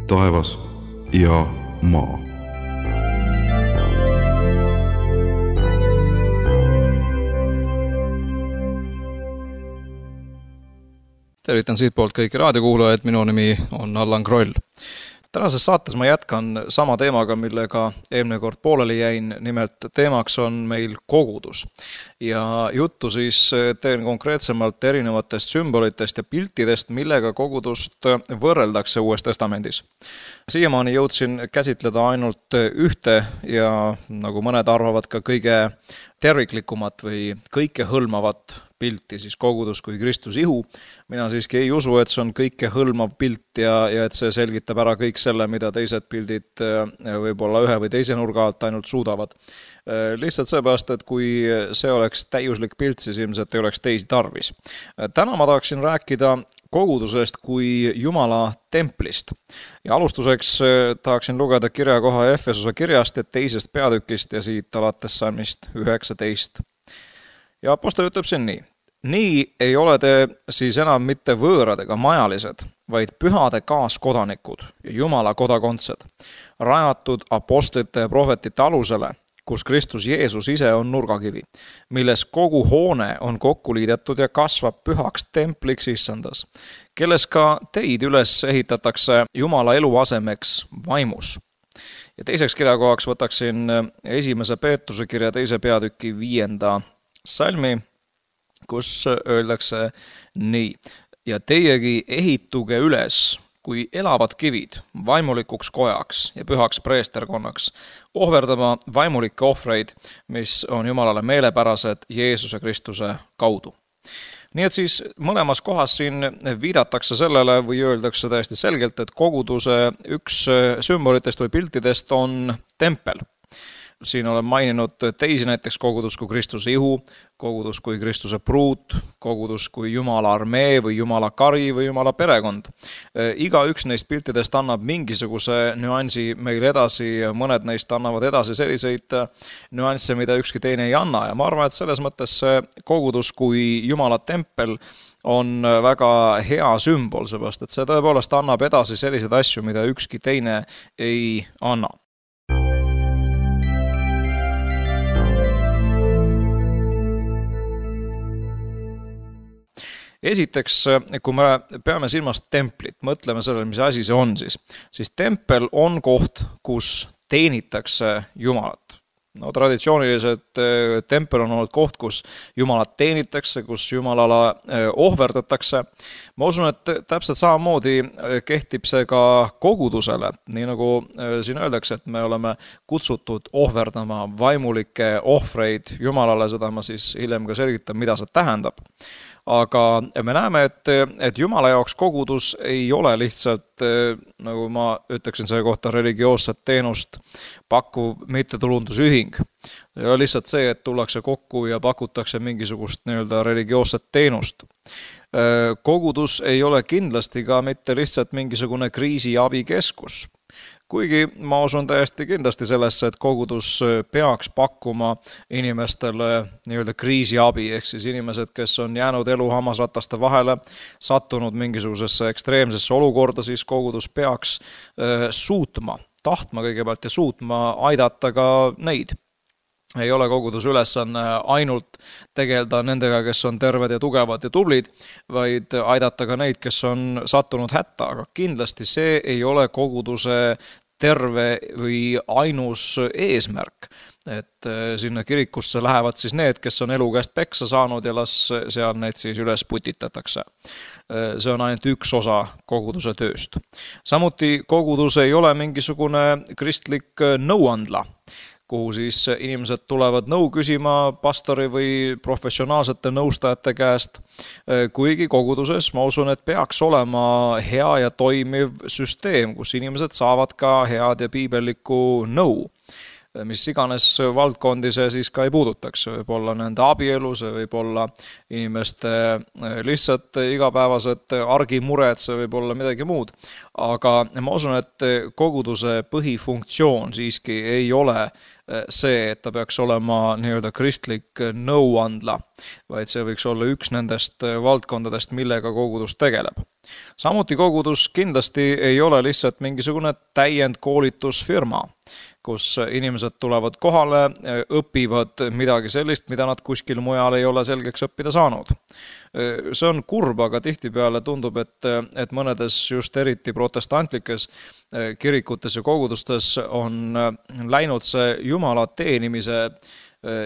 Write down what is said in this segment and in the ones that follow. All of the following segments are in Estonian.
taevas ja maa. Tervitan siitpoolt kõiki raadiokuulajaid, minu nimi on Allan Kroll. Tänases saates ma jätkan sama teemaga, millega eelmine kord pooleli jäin, nimelt teemaks on meil kogudus. Ja juttu siis teen konkreetsemalt erinevatest sümbolitest ja piltidest, millega kogudust võrreldakse Uues Testamendis. Siiamaani jõudsin käsitleda ainult ühte ja nagu mõned arvavad ka kõige terviklikumat või kõikehõlmavat pilti, siis kogudus kui Kristuse ihu. Mina siiski ei usu, et see on kõikehõlmav pilt ja et see selgitab ära kõik selle, mida teised pildid võib-olla ühe või teise nurga alt ainult suudavad. Lihtsalt seepärast, et kui see oleks täiuslik pilt, siis ilmselt ei oleks teisi tarvis. Täna ma tahaksin rääkida kogudusest kui Jumala templist. Ja alustuseks tahaksin lugeda kirjakoha Efesuse kirjast, et 2. peatükist ja siit alates salmist 19. Ja apostel ütleb siin nii. Nii ei ole te siis enam mitte võõrad ega majalised, vaid pühade kaaskodanikud ja Jumala kodakondsed, rajatud apostlite ja prohvetite alusele, kus Kristus Jeesus ise on nurgakivi, milles kogu hoone on kokku liidetud ja kasvab pühaks templiks issandas, kelles ka teid üles ehitatakse Jumala eluasemeks vaimus. Ja teiseks kirjakohaks võtaksin 1. Peetruse kirja 2. peatüki 5. salmi, kus öeldakse nii. Ja teiegi ehituge üles kui elavad kivid vaimulikuks kojaks ja pühaks preesterkonnaks, ohverdama vaimulikke ohvreid, mis on Jumalale meelepärased Jeesuse Kristuse kaudu. Nii et siis mõlemas kohas siin viidatakse sellele või öeldakse täiesti selgelt, et koguduse üks sümbolitest või piltidest on tempel. Siin olen maininud teisi näiteks kogudus kui Kristuse ihu, kogudus kui Kristuse pruut, kogudus kui Jumala armee või Jumala kari või Jumala perekond. Iga üks neist piltidest annab mingisuguse nüansi meil edasi ja mõned neist annavad edasi selliseid nüansse, mida ükski teine ei anna. Ja ma arvan, et selles mõttes see kogudus kui Jumala tempel on väga hea sümbol, seepärast et see tõepoolest annab edasi selliseid asju, mida ükski teine ei anna. Esiteks, kui me peame silmas templit, mõtleme sellele, mis asi see on siis tempel on koht, kus teenitakse Jumalat. No, traditsiooniliselt tempel on olnud koht, kus Jumalat teenitakse, kus Jumalale ohverdatakse. Ma usun, et täpselt samamoodi kehtib see ka kogudusele, nii nagu siin öeldakse, et me oleme kutsutud ohverdama vaimulikke ohvreid Jumalale, seda ma siis hiljem ka selgitan, mida see tähendab. Aga me näeme, et Jumala jaoks kogudus ei ole lihtsalt, nagu ma ütleksin selle kohta, religioosset teenust pakkuv mittetulundusühing. Ei ole lihtsalt see, et tullakse kokku ja pakutakse mingisugust nii-öelda religioosset teenust. Kogudus ei ole kindlasti ka mitte lihtsalt mingisugune kriisiabikeskus. Kuigi ma usun täiesti kindlasti sellesse, et kogudus peaks pakkuma inimestele nii-öelda kriisiabi, ehk siis inimesed, kes on jäänud elu hammasrataste vahele, sattunud mingisugusesse ekstreemsesse olukorda, siis kogudus peaks tahtma kõigepealt ja suutma aidata ka neid. Ei ole kogudus ülesanne ainult tegeleda nendega, kes on terved ja tugevad ja tublid, vaid aidata ka neid, kes on sattunud hätta, aga kindlasti see ei ole koguduse terve või ainus eesmärk, et sinna kirikusse lähevad siis need, kes on elu käest peksa saanud ja las seal neid siis üles putitatakse. See on ainult üks osa koguduse tööst. Samuti kogudus ei ole mingisugune kristlik nõuandla, kuhu siis inimesed tulevad nõu küsima pastori või professionaalsete nõustajate käest. Kuigi koguduses ma usun, et peaks olema hea ja toimiv süsteem, kus inimesed saavad ka head ja piibellikku nõu. Mis iganes valdkondi see siis ka ei puudutaks, võib olla nende abielu, see võib olla inimeste lihtsalt igapäevased argimured, see võib olla midagi muud. Aga ma usun, et koguduse põhifunktsioon siiski ei ole see, et ta peaks olema nii-öelda kristlik nõuandla, vaid see võiks olla üks nendest valdkondadest, millega kogudus tegeleb. Samuti kogudus kindlasti ei ole lihtsalt mingisugune täiendkoolitusfirma, kus inimesed tulevad kohale, õpivad midagi sellist, mida nad kuskil mujal ei ole selgeks õppida saanud. See on kurb, aga tihtipeale tundub, et mõnedes just eriti protestantlikes kirikutes ja kogudustes on läinud see Jumala teenimise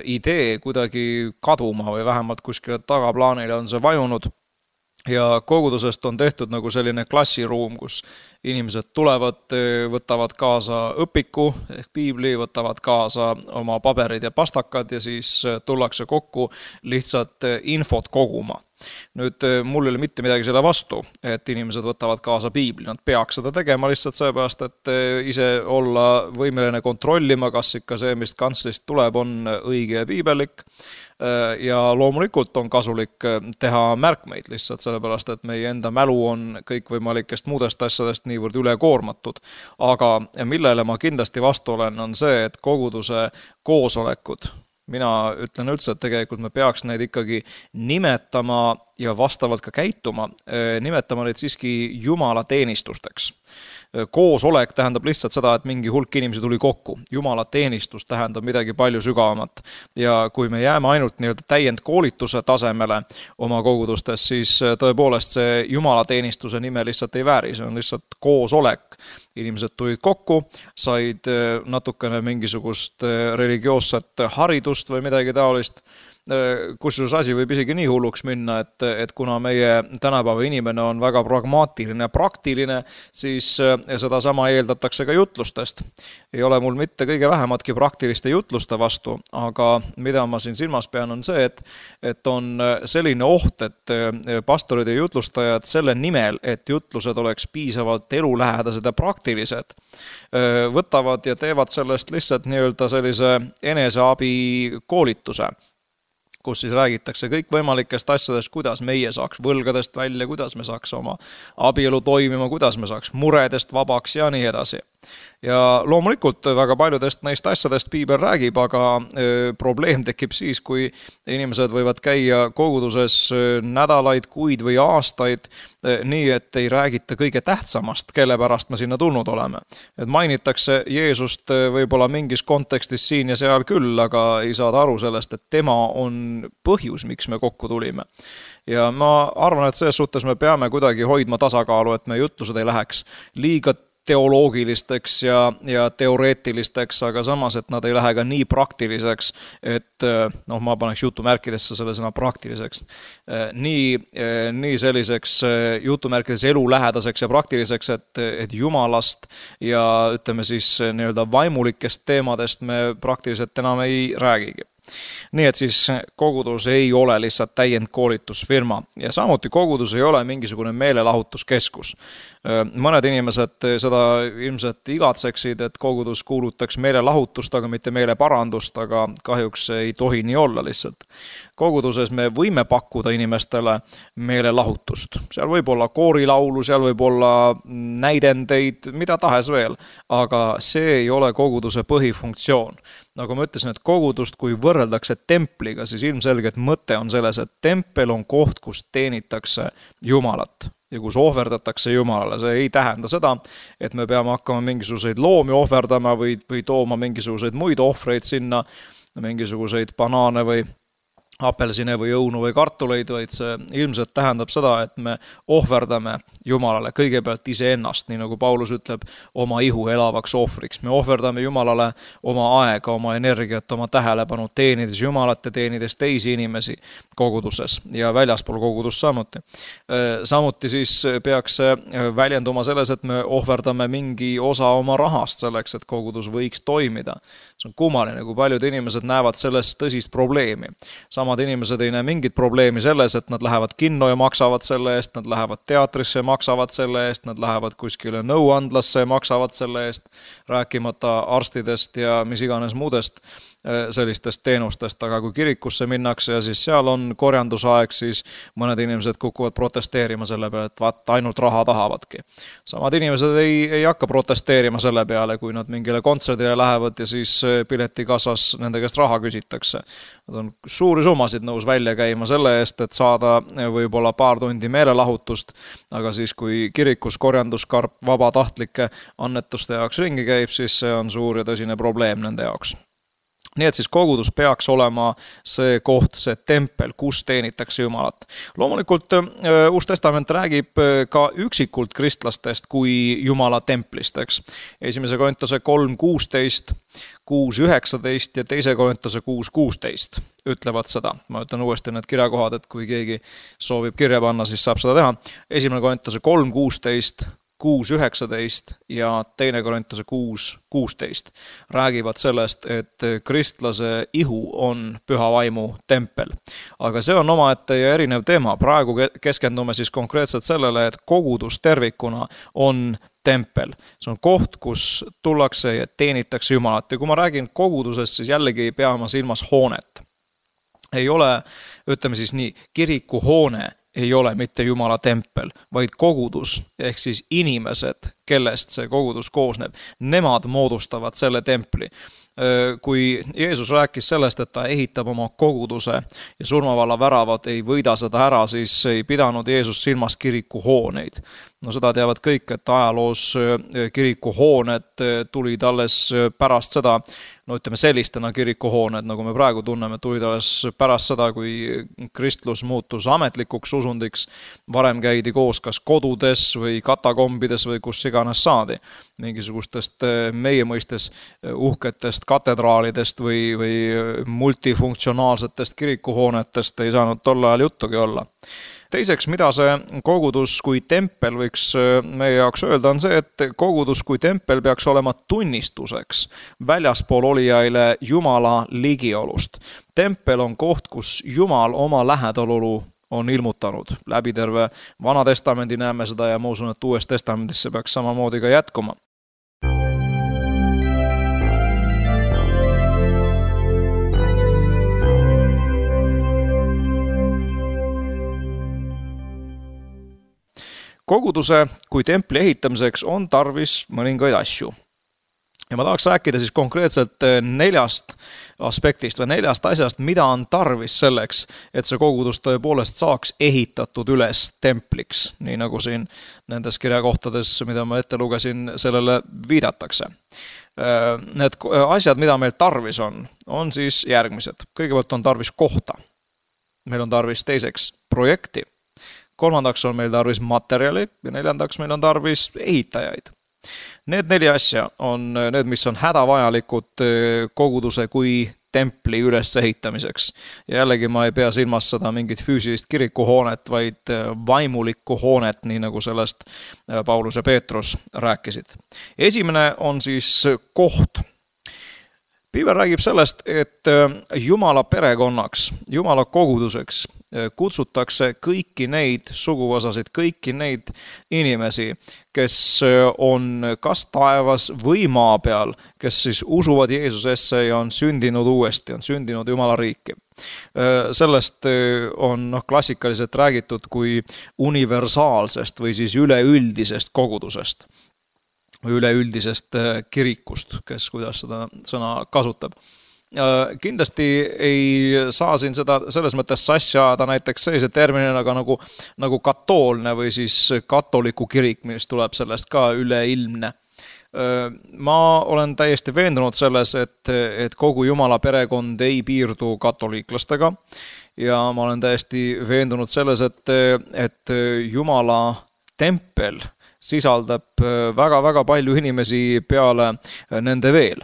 idee kuidagi kaduma või vähemalt kuskile tagaplaanile on see vajunud. Ja kogudusest on tehtud nagu selline klassiruum, kus inimesed tulevad, võtavad kaasa õpiku ehk piibli, võtavad kaasa oma paberid ja pastakad ja siis tullakse kokku lihtsalt infot koguma. Nüüd mul ei ole mitte midagi selle vastu, et inimesed võtavad kaasa piibli. Nad peaks seda tegema lihtsalt sellepärast, et ise olla võimeline kontrollima, kas ikka see, mis kantslist tuleb, on õige ja piibellik. Ja loomulikult on kasulik teha märkmeid lihtsalt sellepärast, et meie enda mälu on kõikvõimalikest muudest asjadest niivõrd ülekoormatud. Aga millele ma kindlasti vastu olen, on see, et koguduse koosolekud, mina ütlen üldse, et tegelikult me peaks neid ikkagi nimetama ja vastavalt ka käituma, nimetama neid siiski Jumala teenistusteks. Koosolek tähendab lihtsalt seda, et mingi hulk inimesi tuli kokku. Jumala teenistus tähendab midagi palju sügavamat. Ja kui me jääme ainult nii-öelda täiendkoolituse tasemele oma kogudustes, siis tõepoolest see Jumala teenistuse nime lihtsalt ei vääri. See on lihtsalt koosolek. Inimesed tulid kokku, said natukene mingisugust religioosset haridust või midagi taolist. Kusjuures asi võib isegi nii hulluks minna, et kuna meie tänapäeva inimene on väga pragmaatiline ja praktiline, siis seda sama eeldatakse ka jutlustest. Ei ole mul mitte kõige vähematki praktiliste jutluste vastu, aga mida ma siin silmas pean on see, et on selline oht, et pastorid ja jutlustajad selle nimel, et jutlused oleks piisavalt elulähedased ja praktilised, võtavad ja teevad sellest lihtsalt nii-öelda sellise eneseabi koolituse, kus siis räägitakse kõikvõimalikest asjadest, kuidas meie saaks võlgadest välja, kuidas me saaks oma abielu toimima, kuidas me saaks muredest vabaks ja nii edasi. Ja loomulikult väga paljudest neist asjadest piibel räägib, aga probleem tekib siis, kui inimesed võivad käia koguduses nädalaid, kuid või aastaid, nii et ei räägita kõige tähtsamast, kelle pärast me sinna tulnud oleme. Et mainitakse Jeesust võib-olla mingis kontekstis siin ja seal küll, aga ei saada aru sellest, et tema on põhjus, miks me kokku tulime. Ja ma arvan, et selles suhtes me peame kuidagi hoidma tasakaalu, et me jutlused ei läheks liiga teoloogilisteks ja teoreetilisteks, aga samas, et nad ei lähe ka nii praktiliseks, et ma paneks jutumärkidesse selle sõna praktiliseks, nii selliseks jutumärkides elulähedaseks ja praktiliseks, et Jumalast ja ütleme siis nii-öelda vaimulikest teemadest me praktiliselt enam ei räägigi. Nii et siis kogudus ei ole lihtsalt täiendkoolitusfirma ja samuti kogudus ei ole mingisugune meelelahutuskeskus. Mõned inimesed seda ilmselt igatseksid, et kogudus kuulutaks meelelahutust, aga mitte meeleparandust, aga kahjuks ei tohi nii olla lihtsalt. Koguduses me võime pakkuda inimestele meelelahutust. Seal võib olla koorilaulu, seal võib olla näidendeid, mida tahes veel, aga see ei ole koguduse põhifunktsioon. Nagu ma ütlesin, et kogudust, kui võrreldakse templiga, siis ilmselgelt mõte on selles, et tempel on koht, kus teenitakse Jumalat ja kus ohverdatakse Jumalale. See ei tähenda seda, et me peame hakkama mingisuguseid loomi ohverdama või tooma mingisuguseid muid ohvreid sinna, mingisuguseid banaane või apelsine või õunu või kartuleid, vaid see ilmselt tähendab seda, et me ohverdame Jumalale kõigepealt iseennast, nii nagu Paulus ütleb, oma ihu elavaks ohvriks. Me ohverdame Jumalale oma aega, oma energiat, oma tähelepanu, teenides Jumalat ja teenides teisi inimesi koguduses ja väljaspool kogudust samuti. Samuti siis peaks see väljenduma selles, et me ohverdame mingi osa oma rahast selleks, et kogudus võiks toimida. See on kummaline, kui paljud inimesed näevad sellest tõsist probleemi. Samad inimesed ei näe mingit probleemi selles, et nad lähevad kinno ja maksavad selle eest, nad lähevad teatrisse ja maksavad selle eest, nad lähevad kuskile nõuandlasse ja maksavad selle eest, rääkimata arstidest ja mis iganes muudest sellistest teenustest, aga kui kirikusse minnakse ja siis seal on korjandusaeg, siis mõned inimesed kukuvad protesteerima selle peale, et vaat ainult raha tahavadki. Samad inimesed ei hakka protesteerima selle peale, kui nad mingile kontserdile lähevad ja siis piletikassas nende käest raha küsitakse. Nad on suuri summasid nõus välja käima selle eest, et saada võib-olla paar tundi meelelahutust, aga siis kui kirikus korjanduskarp vabatahtlike annetuste jaoks ringi käib, siis see on suur ja tõsine probleem nende jaoks. Nii et siis kogudus peaks olema see koht, see tempel, kus teenitakse Jumalat. Loomulikult Uus Testament räägib ka üksikult kristlastest kui Jumala templist, eks. 1. Korintuse 3:16, 6:19 ja 2. Korintuse 6:16 ütlevad seda. Ma ütlen uuesti need kirjakohad, et kui keegi soovib kirja panna, siis saab seda teha. 1. Korintuse 3:16, 6:19 ja 2. Korintuse 6:16 räägivad sellest, et kristlase ihu on püha vaimu tempel. Aga see on omaette ja erinev teema. Praegu keskendume siis konkreetselt sellele, et kogudus tervikuna on tempel. See on koht, kus tullakse ja teenitakse Jumalat. Ja kui ma räägin kogudusest, siis jällegi ei pea ma silmas hoonet. Ei ole, ütleme siis nii, kirikuhoone ei ole mitte Jumala tempel, vaid kogudus, ehk siis inimesed, kellest see kogudus koosneb, nemad moodustavad selle templi. Kui Jeesus rääkis sellest, et ta ehitab oma koguduse ja surmavalla väravad ei võida seda ära, siis ei pidanud Jeesus silmas kirikuhooneid. No seda teavad kõik, et ajaloos kirikuhooned tulid alles pärast seda, no ütleme sellistena kirikuhooned, nagu me praegu tunneme, tulid alles pärast seda, kui kristlus muutus ametlikuks usundiks. Varem käidi koos kas kodudes või katakombides või kus iganes saadi. Mingisugustest meie mõistes uhketest katedraalidest või multifunktsionaalsetest kirikuhoonetest ei saanud tol ajal juttugi olla. Teiseks, mida see kogudus kui tempel võiks meie jaoks öelda, on see, et kogudus kui tempel peaks olema tunnistuseks väljaspool olijaile Jumala ligiolust. Tempel on koht, kus Jumal oma lähedalolu on ilmutanud. Läbi terve Vana Testamendi näeme seda ja ma usun, et Uues Testamendis see peaks samamoodi ka jätkuma. Koguduse kui templi ehitamiseks on tarvis mõningaid asju. Ja ma tahaks rääkida siis konkreetselt 4 aspektist või 4 asjast, mida on tarvis selleks, et see kogudus tõepoolest saaks ehitatud üles templiks, nii nagu siin nendes kirjakohtades, mida ma ette lugesin, sellele viidatakse. Need asjad, mida meil tarvis on siis järgmised. Kõigepealt on tarvis kohta. Meil on tarvis teiseks projekti. 3. on meil tarvis materjali ja 4. meil on tarvis ehitajaid. Need 4 asja on need, mis on hädavajalikud koguduse kui templi ülesehitamiseks. Ja jällegi ma ei pea silmas seda mingit füüsilist kirikuhoonet, vaid vaimulikku hoonet, nii nagu sellest Paulus ja Peetrus rääkisid. Esimene on siis koht. Piibel räägib sellest, et Jumala perekonnaks, Jumala koguduseks kutsutakse kõiki neid suguvõsasid, kõiki neid inimesi, kes on kas taevas või maa peal, kes siis usuvad Jeesusesse ja on sündinud uuesti, on sündinud Jumala riiki. Sellest on klassikaliselt räägitud kui universaalsest või siis üleüldisest kogudusest või üleüldisest kirikust, kes kuidas seda sõna kasutab. Kindlasti ei saa siin seda selles mõttes sassi ajada näiteks sellise terminina nagu katoolne või siis katoliku kirik, mis tuleb sellest ka üleilmne. Ma olen täiesti veendunud selles, et kogu Jumala perekond ei piirdu katoliiklastega ja ma olen täiesti veendunud selles, et Jumala tempel sisaldab väga-väga palju inimesi peale nende veel.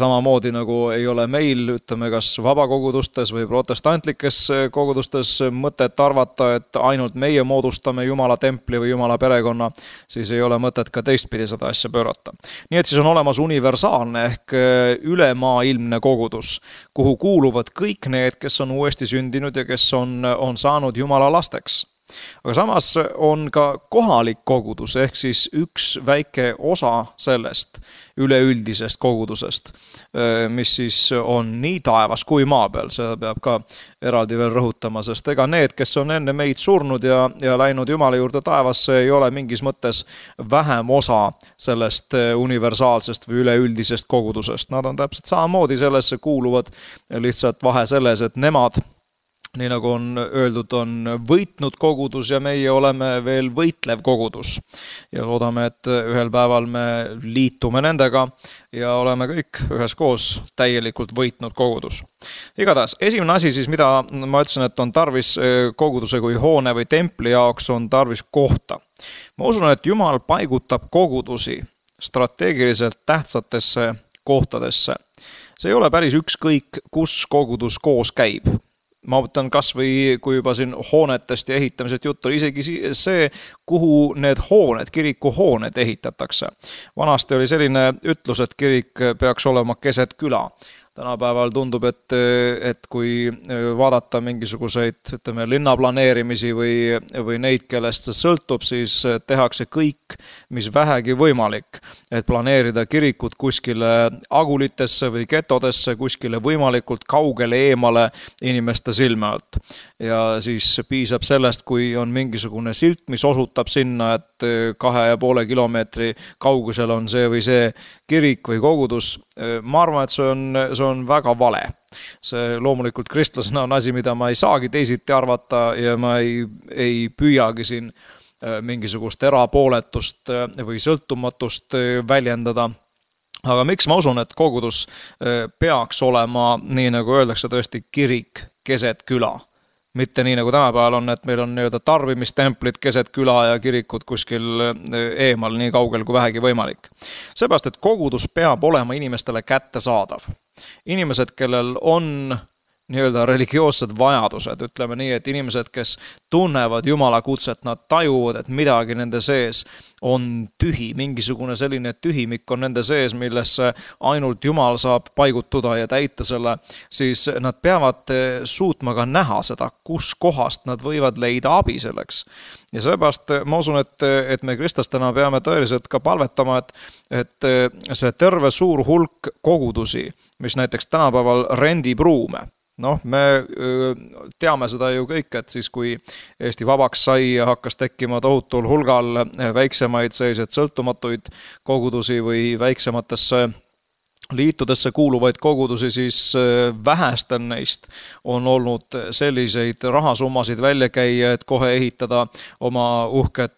Samamoodi nagu ei ole meil, ütleme, kas vabakogudustes või protestantlikes kogudustes mõtet arvata, et ainult meie moodustame Jumala templi või Jumala perekonna, siis ei ole mõtet ka teistpidi seda asja pöörata. Nii et siis on olemas universaalne ehk ülemaailmne kogudus, kuhu kuuluvad kõik need, kes on uuesti sündinud ja kes on saanud Jumala lasteks. Aga samas on ka kohalik kogudus, ehk siis üks väike osa sellest üleüldisest kogudusest, mis siis on nii taevas kui maa peal, seda peab ka eraldi veel rõhutama, sest ega need, kes on enne meid surnud ja läinud Jumala juurde taevasse, ei ole mingis mõttes vähem osa sellest universaalsest või üleüldisest kogudusest. Nad on täpselt samamoodi sellesse kuuluvad, lihtsalt vahe selles, et nemad, nii nagu on öeldud, on võitnud kogudus ja meie oleme veel võitlev kogudus. Ja loodame, et ühel päeval me liitume nendega ja oleme kõik üheskoos täielikult võitnud kogudus. Igatahes, esimene asi siis, mida ma ütlesin, et on tarvis koguduse kui hoone või templi jaoks, on tarvis kohta. Ma usun, et Jumal paigutab kogudusi strateegiliselt tähtsatesse kohtadesse. See ei ole päris ükskõik, kus kogudus koos käib. Ma mõtlen kas või, kui juba siin hoonetest ja ehitamised juttu, isegi see, kuhu need hooned, kirikuhooned ehitatakse. Vanasti oli selline ütlus, et kirik peaks olema keset küla. Tänapäeval tundub, et kui vaadata mingisuguseid, ütleme, linnaplaneerimisi või neid, kellest see sõltub, siis tehakse kõik, mis vähegi võimalik, et planeerida kirikut kuskile agulitesse või getodesse, kuskile võimalikult kaugele eemale inimeste silme alt. Ja siis piisab sellest, kui on mingisugune silt, mis osutab sinna, et 2,5 kilomeetri kaugusel on see või see kirik või kogudus. Ma arvan, et see on väga vale. See loomulikult kristlasena on asi, mida ma ei saagi teisiti arvata ja ma ei püüagi siin mingisugust erapooletust või sõltumatust väljendada. Aga miks ma usun, et kogudus peaks olema, nii nagu öeldakse, tõesti kirik keset küla? Mitte nii nagu tänapäeval on, et meil on tarbimistemplid keset küla ja kirikud kuskil eemal nii kaugel kui vähegi võimalik. Seepärast, et kogudus peab olema inimestele kättesaadav. Inimesed, kellel on religioossed vajadused, ütleme nii, et inimesed, kes tunnevad Jumala kutset, nad tajuvad, et midagi nende sees on tühi, mingisugune selline tühimik on nende sees, millesse ainult Jumal saab paigutuda ja täita selle, siis nad peavad suutma ka näha seda, kus kohast nad võivad leida abi selleks. Ja seepärast ma usun, et me kristlastena peame tõeliselt ka palvetama, et see terve suur hulk kogudusi, mis näiteks tänapäeval rendib ruume. Me teame seda ju kõik, et siis kui Eesti vabaks sai ja hakkas tekkima tohutul hulgal väiksemaid selliseid sõltumatuid kogudusi või väiksematesse liitudesse kuuluvaid kogudusi, siis vähestel neist on olnud selliseid rahasummasid välja käia, et kohe ehitada oma uhket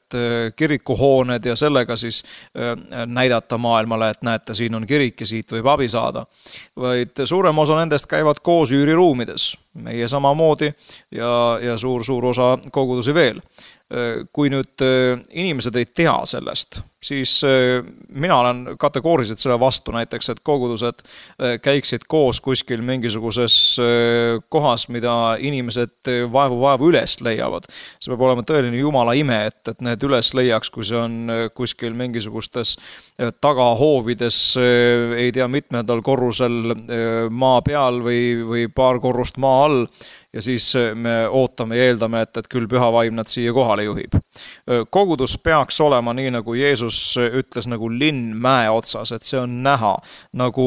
kirikuhooned ja sellega siis näidata maailmale, et näete, siin on kirik ja siit võib abi saada. Vaid suurem osa nendest käivad koos üüriruumides, meie samamoodi ja suur osa kogudusi veel. Kui nüüd inimesed ei tea sellest, siis mina olen kategooriliselt selle vastu näiteks, et kogudused käiksid koos kuskil mingisuguses kohas, mida inimesed vaevu üles leiavad. See peab olema tõeline Jumala ime, et need üles leiaks, kui see on kuskil mingisugustes tagahoovides, ei tea mitmendal korrusel maa peal või paar korrust maa all. Ja siis me ootame ja eeldame, et küll püha vaim nad siia kohale juhib. Kogudus peaks olema nii, nagu Jeesus ütles, nagu linn mäe otsas, et see on näha nagu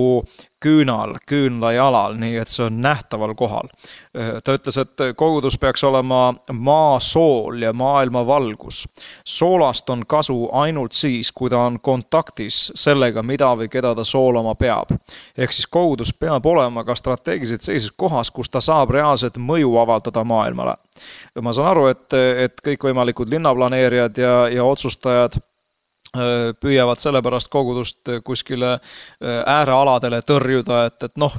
küünla jalal, nii et see on nähtaval kohal. Ta ütles, et kogudus peaks olema maa sool ja maailma valgus. Soolast on kasu ainult siis, kui ta on kontaktis sellega, mida või keda ta soolama peab. Ehk siis kogudus peab olema ka strateegiliselt sellises kohas, kus ta saab reaalselt mõju avaldada maailmale. Ma saan aru, et kõikvõimalikud linnaplaneerijad ja otsustajad püüavad sellepärast kogudust kuskile äärealadele tõrjuda,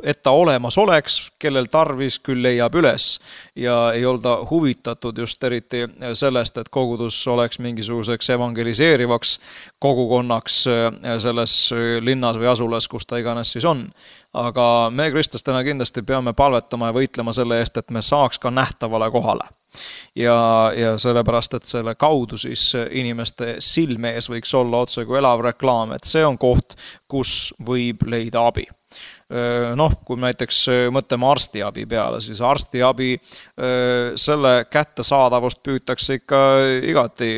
et ta olemas oleks, kellel tarvis, küll leiab üles ja ei olda huvitatud just eriti sellest, et kogudus oleks mingisuguseks evangeliseerivaks kogukonnaks selles linnas või asulas, kus ta iganes siis on. Aga me kristlastena kindlasti peame palvetama ja võitlema selle eest, et me saaks ka nähtavale kohale. Ja sellepärast, et selle kaudu siis inimeste silme ees võiks olla otse kui elav reklaam, et see on koht, kus võib leida abi. Noh, kui näiteks mõtleme arstiabi peale, siis arstiabi selle kättesaadavust püütakse ikka igati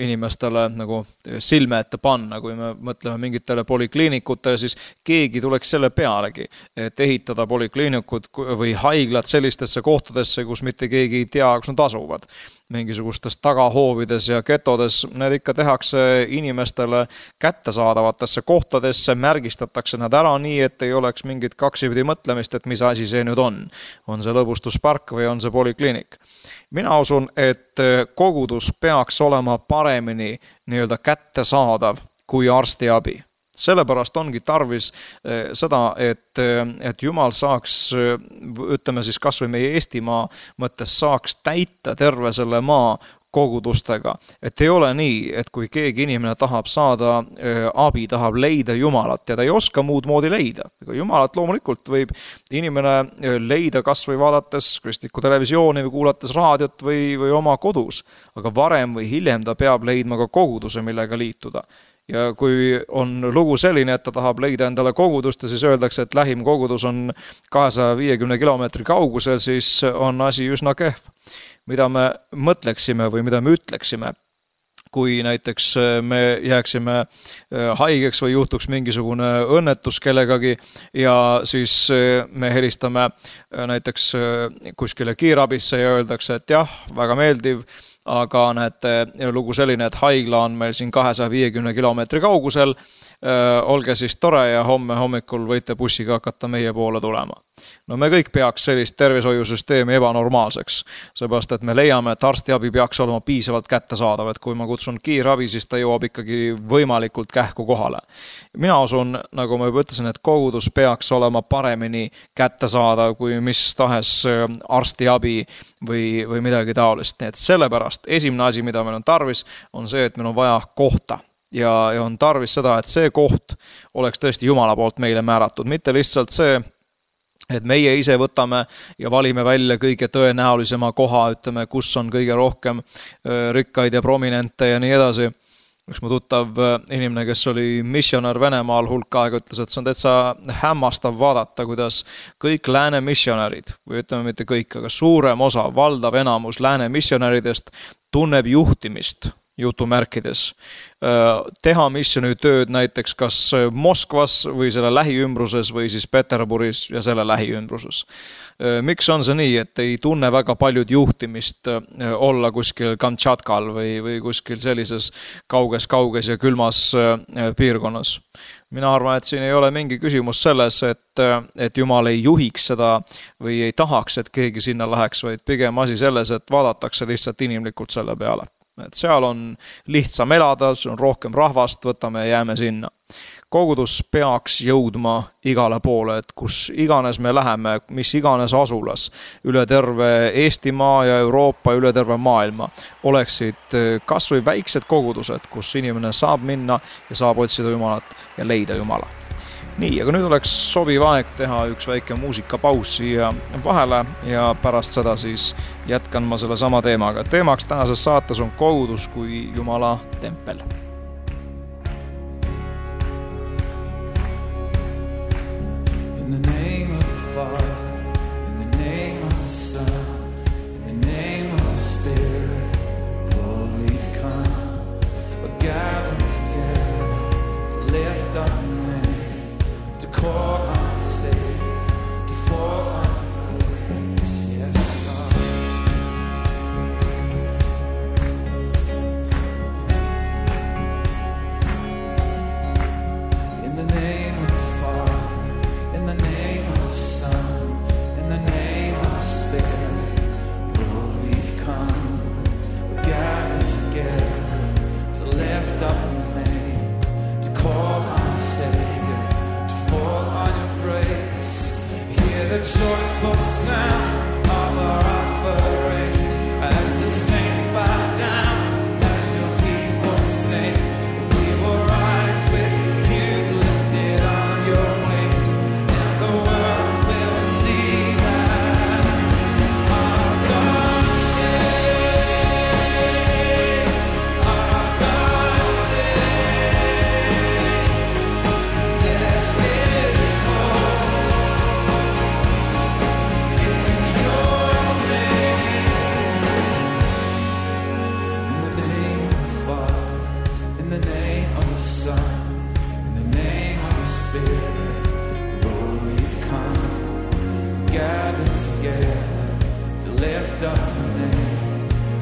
inimestele nagu silme ette panna, kui me mõtleme mingitele polikliinikutele, siis keegi tuleks selle pealegi, et ehitada polikliinikud või haiglad sellistesse kohtadesse, kus mitte keegi ei tea, kus nad asuvad. Mingisugustes tagahoovides ja getodes, need ikka tehakse inimestele kättesaadavatesse kohtadesse, märgistatakse nad ära nii, et ei oleks mingit kaksipidi mõtlemist, et mis asi see nüüd on. On see lõbustuspark või on see polikliinik? Mina usun, et kogudus peaks olema paremini nii-öelda kättesaadav kui arstiabi. Sellepärast ongi tarvis seda, et Jumal saaks, ütleme siis kas või meie Eestimaa mõttes saaks täita terve selle maa kogudustega. Et ei ole nii, et kui keegi inimene tahab saada abi, tahab leida Jumalat ja ta ei oska muud moodi leida. Jumalat loomulikult võib inimene leida kas või vaadates kristlikku televisiooni või kuulates raadiot või oma kodus, aga varem või hiljem ta peab leidma ka koguduse, millega liituda. Ja kui on lugu selline, et ta tahab leida endale kogudust ja siis öeldakse, et lähim kogudus on 250 kilomeetri kaugusel, siis on asi üsna kehv. Mida me mõtleksime või mida me ütleksime, kui näiteks me jääksime haigeks või juhtuks mingisugune õnnetus kellegagi ja siis me helistame näiteks kuskile kiirabisse ja öeldakse, et jah, väga meeldiv, aga näete lugu selline, et haigla on meil siin 250 kilomeetri kaugusel, olge siis tore ja homme hommikul võite bussiga hakata meie poole tulema. No me kõik peaks sellist tervishoiusüsteemi ebanormaalseks, seepärast et me leiame, et arstiabi peaks olema piisavalt kättesaadav, et kui ma kutsun kiirabi, siis ta jõuab ikkagi võimalikult kähku kohale. Mina usun, nagu ma juba ütlesin, et kogudus peaks olema paremini kättesaadav kui mis tahes arstiabi või midagi taolist. Nii et sellepärast esimene asi, mida meil on tarvis, on see, et meil on vaja kohta. Ja on tarvis seda, et see koht oleks tõesti Jumala poolt meile määratud, mitte lihtsalt see, et meie ise võtame ja valime välja kõige tõenäolisema koha, ütleme, kus on kõige rohkem rikkaid ja prominente ja nii edasi. Üks mu tuttav inimene, kes oli missionär Venemaal hulk aega, ütles, et see on täitsa hämmastav vaadata, kuidas kõik lääne missionärid, või ütleme mitte kõik, aga suurem osa, valdav enamus lääne missionäridest tunneb juhtimist jutumärkides. Teha missionitööd näiteks kas Moskvas või selle lähiümbruses või siis Peterburis ja selle lähiümbruses. Miks on see nii, et ei tunne väga paljud juhtimist olla kuskil Kamtšatkal või kuskil sellises kauges ja külmas piirkonnas? Mina arvan, et siin ei ole mingi küsimus selles, et Jumal ei juhiks seda või ei tahaks, et keegi sinna läheks, vaid pigem asi selles, et vaadatakse lihtsalt inimlikult selle peale. Et seal on lihtsam elada, on rohkem rahvast, võtame ja jääme sinna. Kogudus peaks jõudma igale poole, et kus iganes me läheme, mis iganes asulas, üle terve Eestimaa ja Euroopa, üle terve maailma, oleksid kas või väiksed kogudused, kus inimene saab minna ja saab otsida Jumalat ja leida Jumala. Nii, aga nüüd oleks sobiv aeg teha üks väike muusikapaus siia vahele ja pärast seda siis jätkan ma selle sama teemaga. Teemaks tänases saates on kogudus kui Jumala tempel. In the name of the Father, in the name of the Son, in the name of the Spirit, Lord, we've come, we're gathered together to lift up your name, to call on Savior, to fall on grace, yes, God.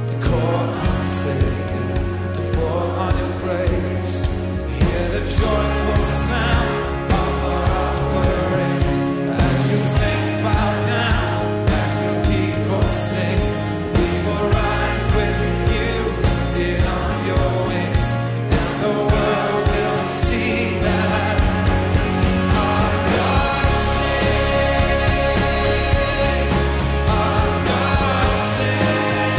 to call on Savior, to fall on your grace. Hear the joyful sound of our offering as your saints bow down, as your people sing. We will rise with you, lifted on your wings, and the world will see that our God saves, our God saves.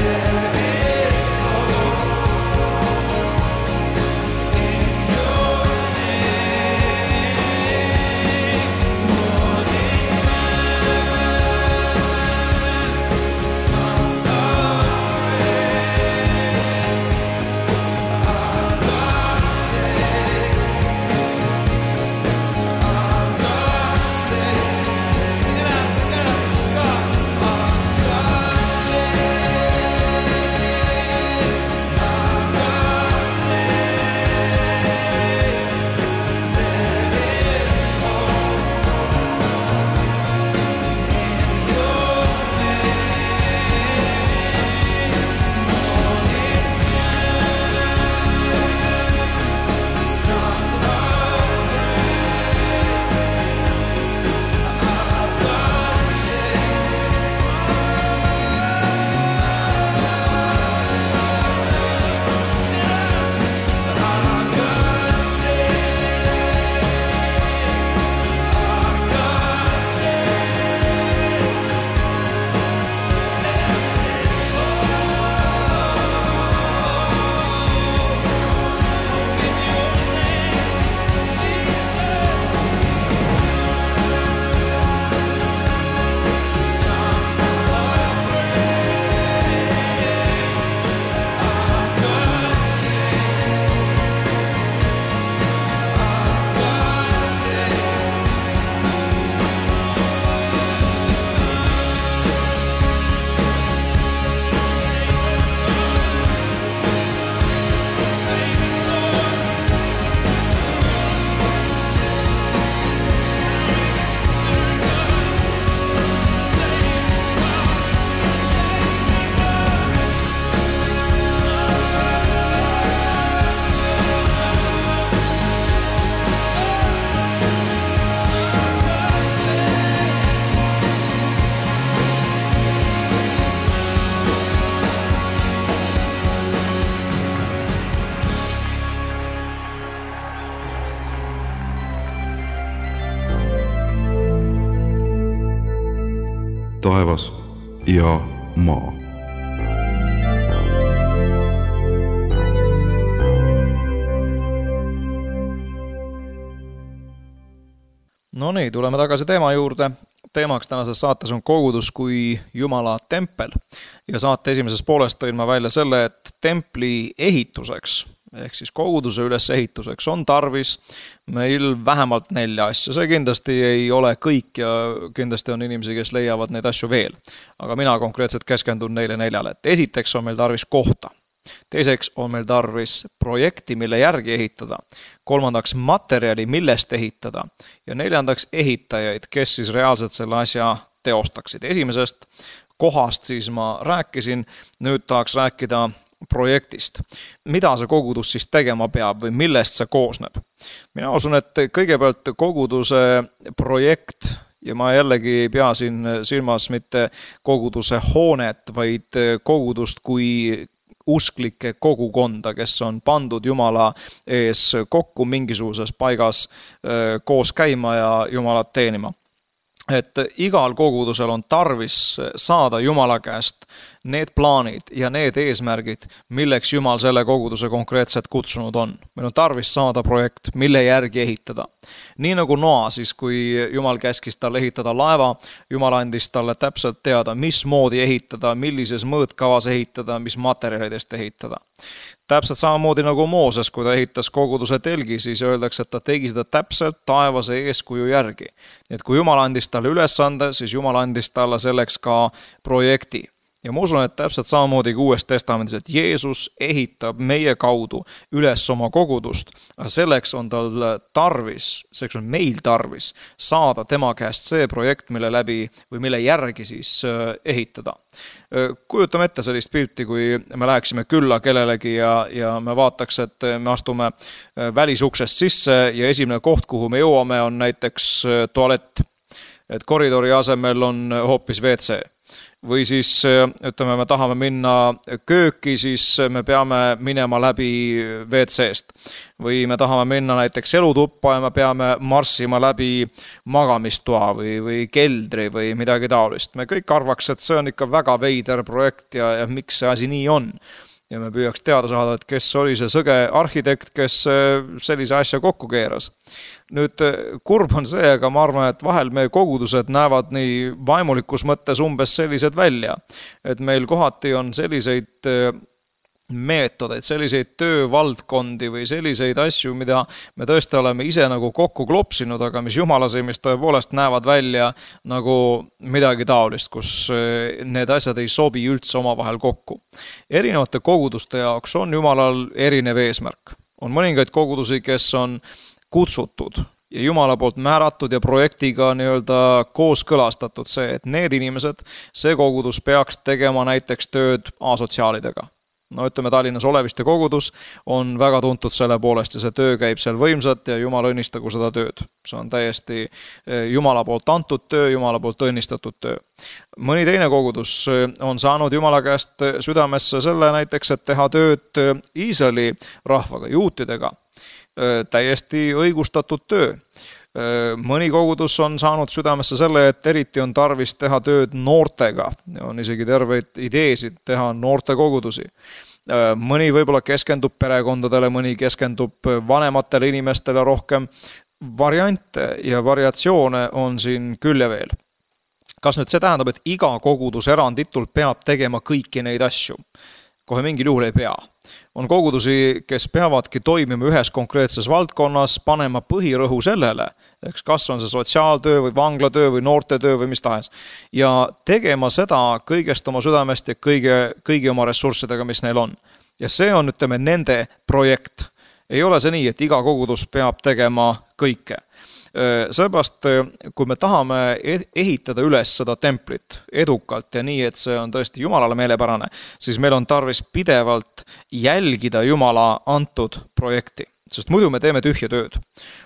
There is hope in your name. Morning chimes, songs of praise. Our God saves, our God saves. Sing it out together. God, our God saves, our God saves. There is hope in your name. Morning chimes, songs of taevas ja maa. No nii, tuleme tagasi teema juurde. Teemaks tänases saates on kogudus kui Jumala tempel. Ja saate esimeses poolest tõin ma välja selle, et templi ehituseks ehk siis koguduse ülesehituseks on tarvis meil vähemalt 4 asja. See kindlasti ei ole kõik ja kindlasti on inimesi, kes leiavad neid asju veel. Aga mina konkreetselt keskendun neile 4. Et esiteks on meil tarvis kohta. Teiseks on meil tarvis projekti, mille järgi ehitada. 3. materjali, millest ehitada. Ja 4. ehitajaid, kes siis reaalselt selle asja teostaksid. Esimesest kohast siis ma rääkisin, nüüd tahaks rääkida projektist. Mida see kogudus siis tegema peab või millest see koosneb? Mina usun, et kõigepealt koguduse projekt, ja ma jällegi ei pea siin silmas mitte koguduse hoonet, vaid kogudust kui usklike kogukonda, kes on pandud Jumala ees kokku mingisuguses paigas koos käima ja Jumalat teenima. Et igal kogudusel on tarvis saada Jumala käest need plaanid ja need eesmärgid, milleks Jumal selle koguduse konkreetselt kutsunud on. Meil on tarvis saada projekt, mille järgi ehitada. Nii nagu Noa, siis kui Jumal käskis talle ehitada laeva, Jumal andis talle täpselt teada, mismoodi ehitada, millises mõõtkavas ehitada, mis materjalidest ehitada. Täpselt samamoodi nagu Mooses, kui ta ehitas koguduse telgi, siis öeldakse, et ta tegi seda täpselt taevase eeskuju järgi. Nii et kui Jumal andis talle ülesande, siis Jumal andis talle selleks ka projekti. Ja ma usun, et täpselt samamoodi kui Uues Testamendis, et Jeesus ehitab meie kaudu üles oma kogudust, aga selleks on tal tarvis, selleks on meil tarvis saada tema käest see projekt, mille läbi või mille järgi siis ehitada. Kujutame ette sellist pilti, kui me läheksime külla kellelegi ja me vaataks, et me astume välisuksest sisse ja esimene koht, kuhu me jõuame, on näiteks tualett. Et koridori asemel on hoopis WC. Või siis, ütleme, me tahame minna kööki, siis me peame minema läbi WC-st. Või me tahame minna näiteks elutuppa ja me peame marssima läbi magamistoa või keldri või midagi taolist. Me kõik arvaks, et see on ikka väga veider projekt ja miks see asi nii on. Ja me püüaks teada saada, et kes oli see sõge arhitekt, kes sellise asja kokku keeras. Nüüd kurb on see, aga ma arvan, et vahel meie kogudused näevad nii vaimulikus mõttes umbes sellised välja. Et meil kohati on selliseid meetodeid, selliseid töövaldkondi või selliseid asju, mida me tõesti oleme ise nagu kokku klopsinud, aga mis Jumala silmis tõepoolest näevad välja nagu midagi taolist, kus need asjad ei sobi üldse omavahel kokku. Erinevate koguduste jaoks on Jumalal erinev eesmärk. On mõningaid kogudusi, kes on kutsutud ja Jumala poolt määratud ja projektiga nii-öelda kooskõlastatud see, et need inimesed, see kogudus peaks tegema näiteks tööd asotsiaalidega. No ütleme, Tallinnas Oleviste kogudus on väga tuntud selle poolest ja see töö käib seal võimsat ja Jumal õnnistagu seda tööd. See on täiesti Jumala poolt antud töö, Jumala poolt õnnistatud töö. Mõni teine kogudus on saanud Jumala käest südamesse selle näiteks, et teha tööd Iisraeli rahvaga, juutidega. Täiesti õigustatud töö. Mõni kogudus on saanud südamesse selle, et eriti on tarvis teha tööd noortega. On isegi terveid ideesid teha noorte kogudusi. Mõni võib-olla keskendub perekondadele, mõni keskendub vanematele inimestele rohkem. Variante ja variatsioone on siin küll ja veel. Kas nüüd see tähendab, et iga kogudus eranditult peab tegema kõiki neid asju? Kohe mingil juhul ei pea. On kogudusi, kes peavadki toimima ühes konkreetses valdkonnas, panema põhirõhu sellele, kas on see sotsiaaltöö või vanglatöö või noortetöö või mis tahes. Ja tegema seda kõigest oma südamest ja kõigi oma ressurssidega, mis neil on. Ja see on, ütleme, nende projekt. Ei ole see nii, et iga kogudus peab tegema kõike. Seepärast, kui me tahame ehitada üles seda templit edukalt ja nii, et see on tõesti Jumalale meelepärane, siis meil on tarvis pidevalt jälgida Jumala antud projekti. Sest muidu me teeme tühja tööd.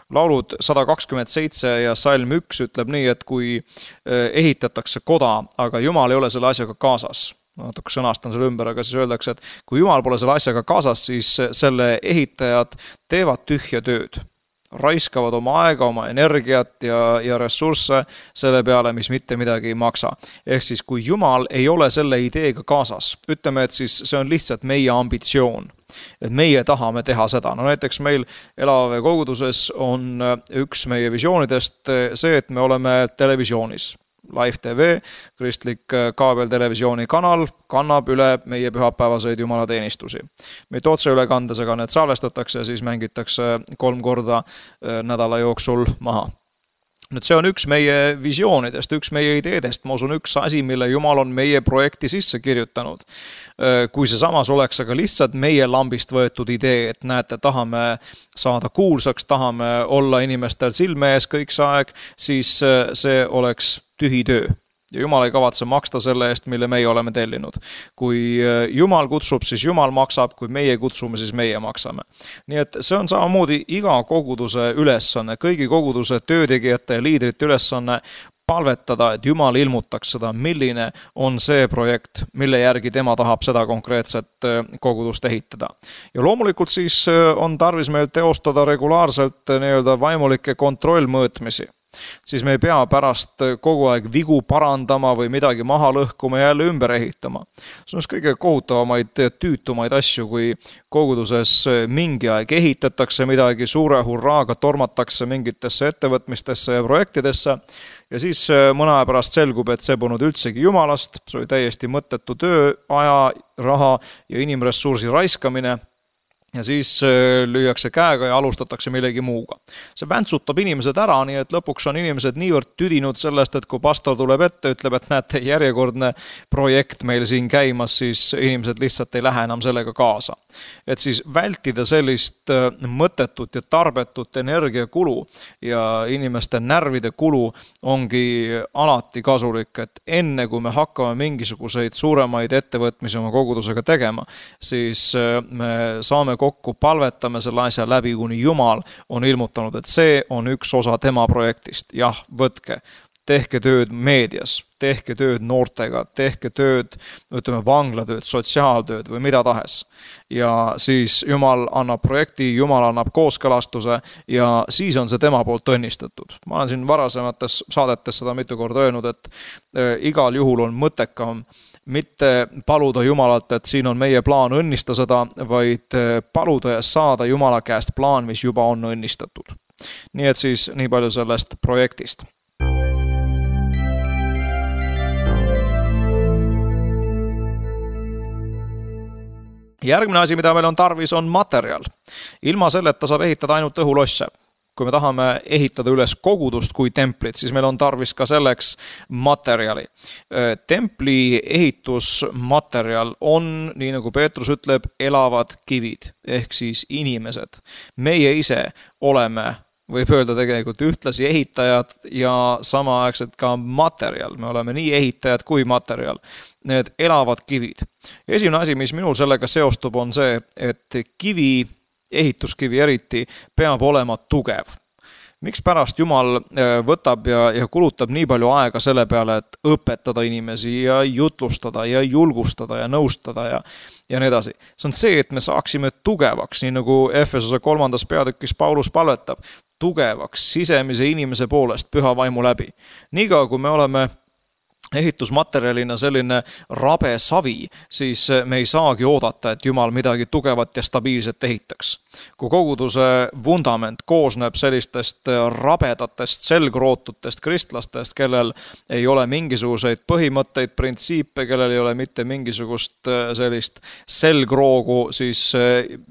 Laulud 127 ja salm 1 ütleb nii, et kui ehitatakse koda, aga Jumal ei ole selle asjaga kaasas. Natuke sõnastan selle ümber, aga siis öeldakse, et kui Jumal pole selle asjaga kaasas, siis selle ehitajad teevad tühja tööd. Raiskavad oma aega, oma energiat ja ressursse selle peale, mis mitte midagi ei maksa. Ehk siis, kui Jumal ei ole selle ideega kaasas, ütleme, et siis see on lihtsalt meie ambitsioon. Et meie tahame teha seda. No näiteks meil Elava koguduses on üks meie visioonidest see, et me oleme televisioonis. Live TV, kristlik kaabeltelevisiooni kanal, kannab üle meie pühapäevaseid jumalateenistusi. Meid otseülekandes, aga need salvestatakse ja siis mängitakse 3 korda nädala jooksul maha. Nüüd see on üks meie visioonidest, üks meie ideedest, ma usun üks asi, mille Jumal on meie projekti sisse kirjutanud. Kui see samas oleks aga lihtsalt meie lambist võetud idee, et näete, tahame saada kuulsaks, tahame olla inimestel silme ees kõik see aeg, siis see oleks tühi töö. Ja Jumal ei kavatse maksta selle eest, mille meie oleme tellinud. Kui Jumal kutsub, siis Jumal maksab, kui meie kutsume, siis meie maksame. Nii et see on samamoodi iga koguduse ülesanne, kõigi koguduse töötegijate ja liidrite ülesanne palvetada, et Jumal ilmutaks seda, milline on see projekt, mille järgi tema tahab seda konkreetset kogudust ehitada. Ja loomulikult siis on tarvis meil teostada regulaarselt nii-öelda vaimulikke kontrollmõõtmisi. Siis me ei pea pärast kogu aeg vigu parandama või midagi maha lõhkuma ja jälle ümber ehitama. See on kõige kohutavamaid tüütumaid asju, kui koguduses mingi aeg ehitatakse midagi, suure hurraaga tormatakse mingitesse ettevõtmistesse ja projektidesse ja siis mõne aja pärast selgub, et see polnud üldsegi Jumalast, see oli täiesti mõttetu töö, aja, raha ja inimressursi raiskamine. ja siis lüüakse käega ja alustatakse millegi muuga. See väntsutab inimesed ära, nii et lõpuks on inimesed niivõrd tüdinud sellest, et kui pastor tuleb ette, ütleb, et näete, järjekordne projekt meil siin käimas, siis inimesed lihtsalt ei lähe enam sellega kaasa. Et siis vältida sellist mõttetut ja tarbetut energiakulu ja inimeste närvide kulu ongi alati kasulik, et enne kui me hakkame mingisuguseid suuremaid ettevõtmisi oma kogudusega tegema, siis me saame kokku, palvetame selle asja läbi, kuni Jumal on ilmutanud, et see on üks osa tema projektist. Jah, võtke, tehke tööd meedias, tehke tööd noortega, tehke tööd, vanglatööd, sotsiaaltööd või mida tahes. Ja siis Jumal annab projekti, Jumal annab kooskõlastuse ja siis on see tema poolt õnnistatud. Ma olen siin varasemates saadetes seda mitu korda öelnud, et igal juhul on mõttekam mitte paluda Jumalalt, et siin on meie plaan õnnista seda, vaid paluda ja saada Jumala käest plaan, mis juba on õnnistatud. Nii et siis nii palju sellest projektist. Järgmine asi, mida meil on tarvis, on materjal. Ilma selleta saab ehitada ainult õhulosse. Kui me tahame ehitada üles kogudust kui templit, siis meil on tarvis ka selleks materjali. Templi ehitusmaterjal on, nii nagu Peetrus ütleb, elavad kivid, ehk siis inimesed. Meie ise oleme, võib öelda tegelikult ühtlasi ehitajad ja samaaegselt ka materjal. Me oleme nii ehitajad kui materjal. Need elavad kivid. Esimene asi, mis minul sellega seostub, on see, et kivi, ehituskivi eriti, peab olema tugev. Miks pärast Jumal võtab ja kulutab nii palju aega selle peale, et õpetada inimesi ja jutlustada ja julgustada ja nõustada ja nii edasi. See on see, et me saaksime tugevaks, nii nagu Efesose 3. peatükis Paulus palvetab, tugevaks sisemise inimese poolest püha vaimu läbi. Niikaua, kui me oleme ehitusmaterjalina selline rabe savi, siis me ei saagi oodata, et Jumal midagi tugevat ja stabiilset ehitaks. Kui koguduse vundament koosneb sellistest rabedatest selgrootutest kristlastest, kellel ei ole mingisuguseid põhimõtteid, printsiipe, kellel ei ole mitte mingisugust sellist selgroogu, siis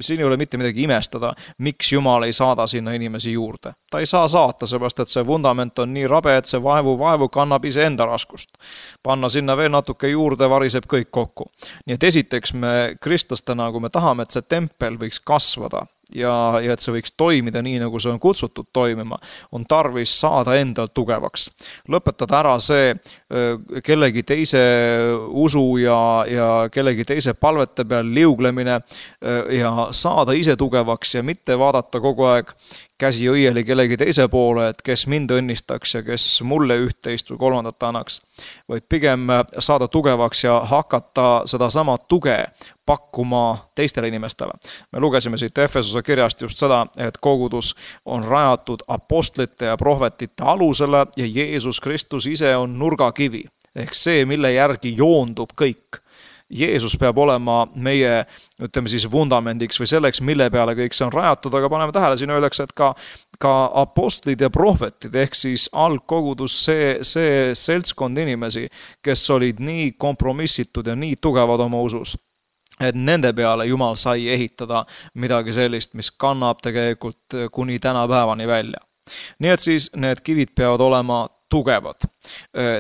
siin ei ole mitte midagi imestada, miks Jumal ei saada sinna inimesi juurde. Ta ei saa saata, seepärast et see vundament on nii rabe, et see vaevu kannab iseenda raskust. Panna sinna veel natuke juurde, variseb kõik kokku. Nii et esiteks me kristlastena, kui me tahame, et see tempel võiks kasvada ja et see võiks toimida nii, nagu see on kutsutud toimima, on tarvis saada endal tugevaks. Lõpetada ära see kellegi teise usu ja kellegi teise palvete peal liuglemine ja saada ise tugevaks ja mitte vaadata kogu aeg käsi õieli kellegi teise poole, et kes mind õnnistaks ja kes mulle üht-teist või kolmandat annaks, vaid pigem saada tugevaks ja hakata seda sama tuge pakkuma teistele inimestele. Me lugesime siit Efesose kirjast just seda, et kogudus on rajatud apostlite ja prohvetite alusele ja Jeesus Kristus ise on nurgakivi, ehk see, mille järgi joondub kõik. Jeesus peab olema meie, ütleme siis, vundamendiks või selleks, mille peale kõik see on rajatud, aga paneme tähele, siin öeldakse, et ka apostlid ja prohvetid, ehk siis algkogudus see seltskond inimesi, kes olid nii kompromissitud ja nii tugevad oma usus, et nende peale Jumal sai ehitada midagi sellist, mis kannab tegelikult kuni tänapäevani välja. Nii et siis need kivid peavad olema tugevad.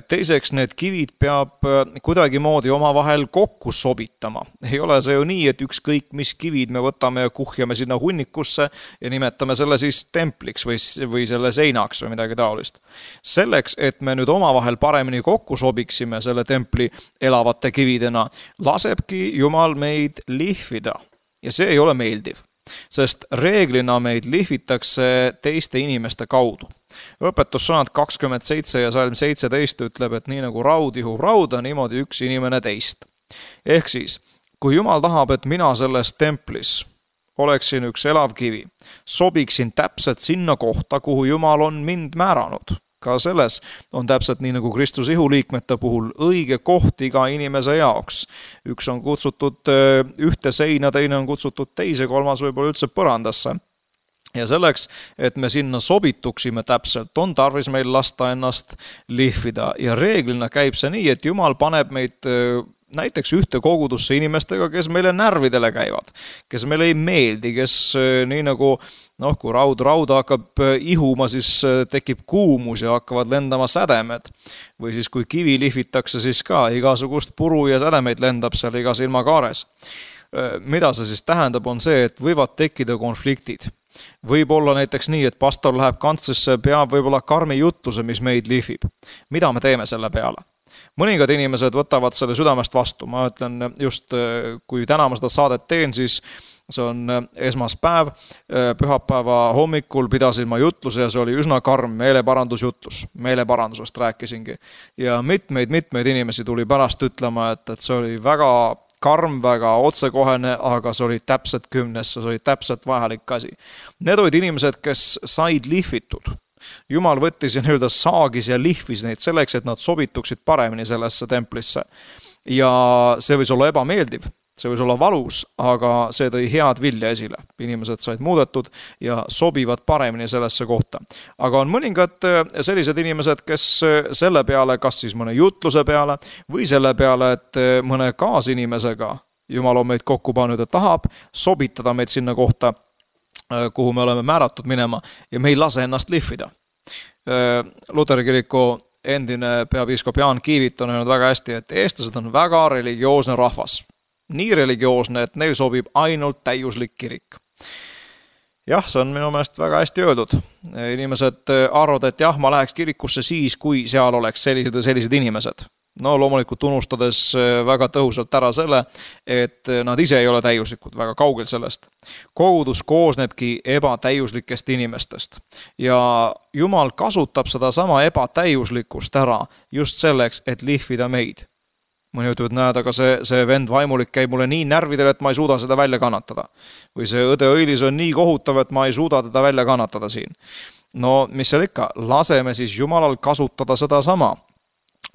Teiseks, need kivid peab kuidagimoodi omavahel kokku sobitama. Ei ole see ju nii, et ükskõik mis kivid me võtame ja kuhjame sinna hunnikusse ja nimetame selle siis templiks või selle seinaks või midagi taolist. Selleks, et me nüüd omavahel paremini kokku sobiksime selle templi elavate kividena, lasebki Jumal meid lihvida. Ja see ei ole meeldiv, sest reeglina meid lihvitakse teiste inimeste kaudu. Õpetussõnad 27 ja salm 17 ütleb, et nii nagu raud ihub rauda, niimoodi üks inimene teist. Ehk siis, kui Jumal tahab, et mina selles templis oleksin üks elav kivi, sobiksin täpselt sinna kohta, kuhu Jumal on mind määranud. Ka selles on täpselt nii nagu Kristus ihuliikmete puhul õige koht iga inimese jaoks. Üks on kutsutud ühte seina, teine on kutsutud teise, kolmas võib-olla üldse põrandasse. Ja selleks, et me sinna sobituksime täpselt, on tarvis meil lasta ennast lihvida. Ja reeglina käib see nii, et Jumal paneb meid näiteks ühte kogudusse inimestega, kes meile närvidele käivad, kes meile ei meeldi, kes nii nagu kui rauda hakkab ihuma, siis tekib kuumus ja hakkavad lendama sädemed. Või siis kui kivi lihvitakse, siis ka igasugust puru ja sädemeid lendab seal igas ilmakaares. Mida see siis tähendab, on see, et võivad tekkida konfliktid. Võib olla näiteks nii, et pastor läheb kantslisse, peab võib-olla karmi jutluse, mis meid lihvib. Mida me teeme selle peale? Mõningad inimesed võtavad selle südamest vastu. Ma ütlen just, kui täna ma seda saadet teen, siis see on esmaspäev, pühapäeva hommikul pidasin ma jutluse ja see oli üsna karm meeleparandusjutlus. Meeleparandusest rääkisingi. Ja mitmeid inimesi tuli pärast ütlema, et see oli väga karm, väga otsekohene, aga see oli täpselt 10, see oli täpselt vajalik asi. Need olid inimesed, kes said lihvitud. Jumal võttis ja nii-öelda saagis ja lihvis neid selleks, et nad sobituksid paremini sellesse templisse. Ja see võis olla ebameeldiv, see võis olla valus, aga see tõi head vilja esile. Inimesed said muudetud ja sobivad paremini sellesse kohta. Aga on mõningad sellised inimesed, kes selle peale, kas siis mõne jutluse peale või selle peale, et mõne kaasinimesega Jumal on meid kokku pannud ja tahab sobitada meid sinna kohta, kuhu me oleme määratud minema ja me ei lase ennast lihvida. Luteri kiriku endine peapiiskop Jaan Kiivit on öelnud väga hästi, et eestlased on väga religioosne rahvas. Nii religioosne, et neil sobib ainult täiuslik kirik. Jah, see on minu meelest väga hästi öeldud. Inimesed arvavad, et jah, ma läheks kirikusse siis, kui seal oleks sellised inimesed. No loomulikult unustades väga tõhusalt ära selle, et nad ise ei ole täiuslikud, väga kaugel sellest. Kogudus koosnebki ebatäiuslikest inimestest ja Jumal kasutab seda sama ebatäiuslikkust ära just selleks, et lihvida meid. Mõni ütleb, et näed, aga see vend vaimulik käib mulle nii närvidele, et ma ei suuda seda välja kannatada. Või see õde õilis on nii kohutav, et ma ei suuda teda välja kannatada siin. No mis seal ikka, laseme siis Jumalal kasutada seda sama.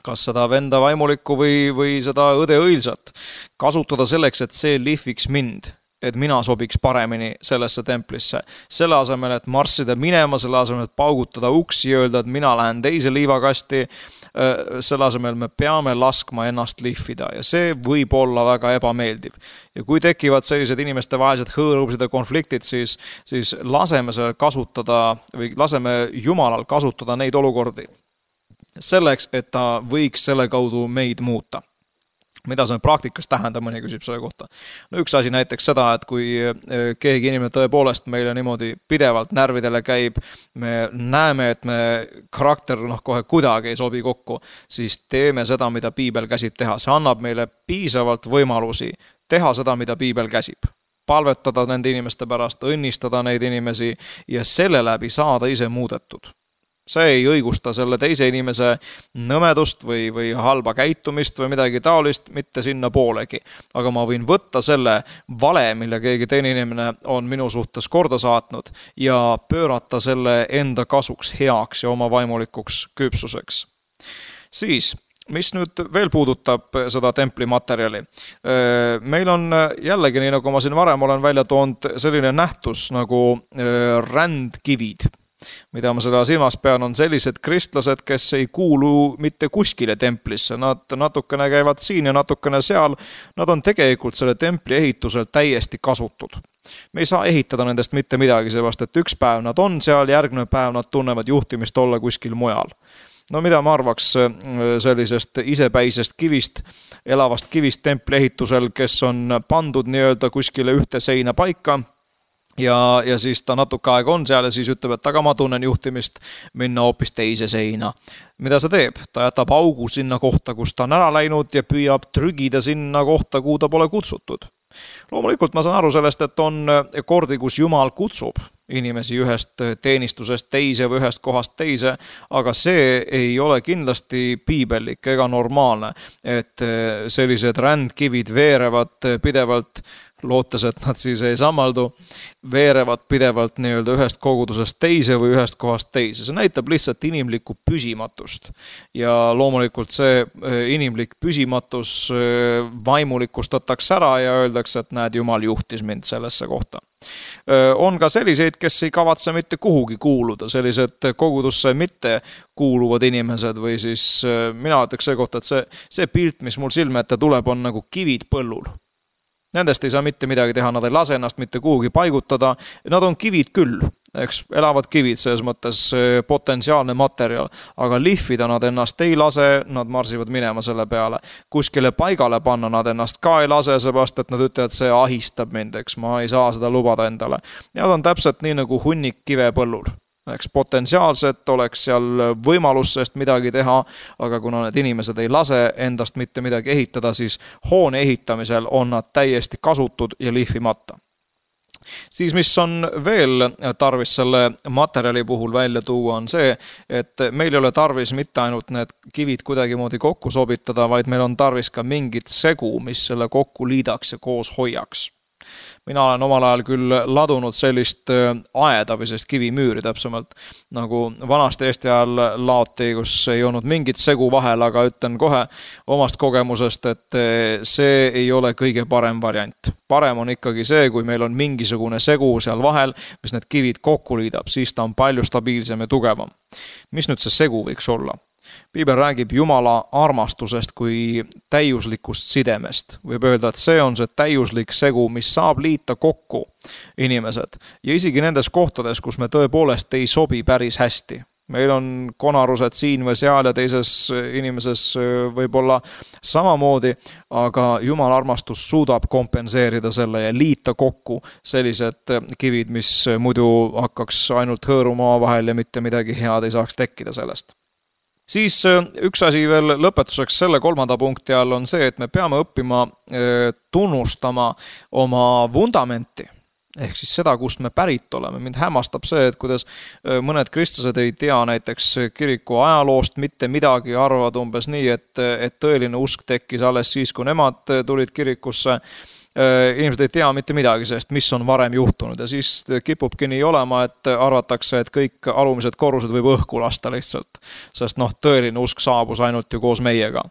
Kas seda venda vaimulikku või seda õde õilsat. Kasutada selleks, et see lihviks mind, et mina sobiks paremini sellesse templisse. Selle asemel, et marssida minema, selle asemel, et paugutada uksi ja öelda, et mina lähen teise liivakasti, selle asemel me peame laskma ennast lihvida ja see võib olla väga ebameeldiv. Ja kui tekivad sellised inimeste vahelised hõõrubused ja konfliktid, siis laseme Jumalal kasutada neid olukordi selleks, et ta võiks selle kaudu meid muuta. Mida see praktikas tähendab, mõni küsib selle kohta. No üks asi näiteks seda, et kui keegi inimene tõepoolest meile niimoodi pidevalt närvidele käib, me näeme, et me karakter kohe kuidagi ei sobi kokku, siis teeme seda, mida piibel käsib teha. See annab meile piisavalt võimalusi teha seda, mida piibel käsib. Palvetada nende inimeste pärast, õnnistada neid inimesi ja selle läbi saada ise muudetud. See ei õigusta selle teise inimese nõmedust või halba käitumist või midagi taolist, mitte sinna poolegi. Aga ma võin võtta selle vale, mille keegi teine inimene on minu suhtes korda saatnud ja pöörata selle enda kasuks, heaks ja oma vaimulikuks küpsuseks. Siis, mis nüüd veel puudutab seda templimaterjali? Meil on jällegi, nii nagu ma siin varem olen välja toonud, selline nähtus nagu rändkivid. Mida ma seda silmas pean, on sellised kristlased, kes ei kuulu mitte kuskile templisse. Nad natukene käivad siin ja natukene seal. Nad on tegelikult selle templi ehitusel täiesti kasutud. Me ei saa ehitada nendest mitte midagi, sellepärast, et üks päev nad on seal, järgmine päev nad tunnevad juhtimist olla kuskil mujal. No mida ma arvaks sellisest isepäisest kivist, elavast kivist templi ehitusel, kes on pandud nii-öelda kuskile ühte seina paika, ja siis ta natuke aega on seal ja siis ütleb, et aga ma tunnen juhtimist minna hoopis teise seina. Mida see teeb? Ta jätab augu sinna kohta, kus ta on ära läinud ja püüab trügida sinna kohta, kuhu ta pole kutsutud. Loomulikult ma saan aru sellest, et on kordi, kus Jumal kutsub inimesi ühest teenistusest teise või ühest kohast teise, aga see ei ole kindlasti piibellik ega normaalne, et sellised rändkivid veerevad pidevalt lootes, et nad siis ei sammaldu, veerevad pidevalt nii-öelda ühest kogudusest teise või ühest kohast teise. See näitab lihtsalt inimlikku püsimatust. Ja loomulikult see inimlik püsimatus vaimulikustatakse ära ja öeldakse, et näed, Jumal juhtis mind sellesse kohta. On ka selliseid, kes ei kavatse mitte kuhugi kuuluda, sellised kogudusse mitte kuuluvad inimesed või siis mina ütleks see kohta, et see pilt, mis mul silme ette tuleb, on nagu kivid põllul. Nendest ei saa mitte midagi teha, nad ei lase ennast mitte kuhugi paigutada, nad on kivid küll, eks, elavad kivid, selles mõttes potentsiaalne materjal, aga lihvida nad ennast ei lase, nad marsivad minema selle peale. Kuskile paigale panna nad ennast ka ei lase, seepärast, et nad ütlevad, see ahistab mind, eks, ma ei saa seda lubada endale. Ja nad on täpselt nii nagu hunnik kive põllul. Eks potentsiaalselt oleks seal võimalus sest midagi teha, aga kuna need inimesed ei lase endast mitte midagi ehitada, siis hoone ehitamisel on nad täiesti kasutud ja lihvimata. Siis mis on veel tarvis selle materjali puhul välja tuua on see, et meil ei ole tarvis mitte ainult need kivid kuidagimoodi kokku sobitada, vaid meil on tarvis ka mingit segu, mis selle kokku liidaks ja koos hoiaks. Mina olen omal ajal küll ladunud sellist aeda või sellist kivimüüri täpsemalt, nagu vanast Eesti ajal laoti, kus ei olnud mingit segu vahel, aga ütlen kohe omast kogemusest, et see ei ole kõige parem variant. Parem on ikkagi see, kui meil on mingisugune segu seal vahel, mis need kivid kokku liidab, siis ta on palju stabiilsem ja tugevam. Mis nüüd see segu võiks olla? Piibel räägib Jumala armastusest kui täiuslikust sidemest. Võib öelda, et see on see täiuslik segu, mis saab liita kokku inimesed. Ja isegi nendes kohtades, kus me tõepoolest ei sobi päris hästi. Meil on konarused siin või seal ja teises inimeses võib-olla samamoodi, aga Jumala armastus suudab kompenseerida selle ja liita kokku sellised kivid, mis muidu hakkaks ainult hõõruma vahel ja mitte midagi head ei saaks tekkida sellest. Siis üks asi veel lõpetuseks selle 3. punkti all on see, et me peame õppima tunnustama oma vundamenti, ehk siis seda, kust me pärit oleme. Mind hämmastab see, et kuidas mõned kristlased ei tea näiteks kiriku ajaloost mitte midagi, arvavad umbes nii, et tõeline usk tekkis alles siis, kui nemad tulid kirikusse. Inimesed ei tea mitte midagi sellest, mis on varem juhtunud ja siis kipubki nii olema, et arvatakse, et kõik alumised korrused võib õhku lasta lihtsalt, sest tõeline usk saabus ainult ju koos meiega.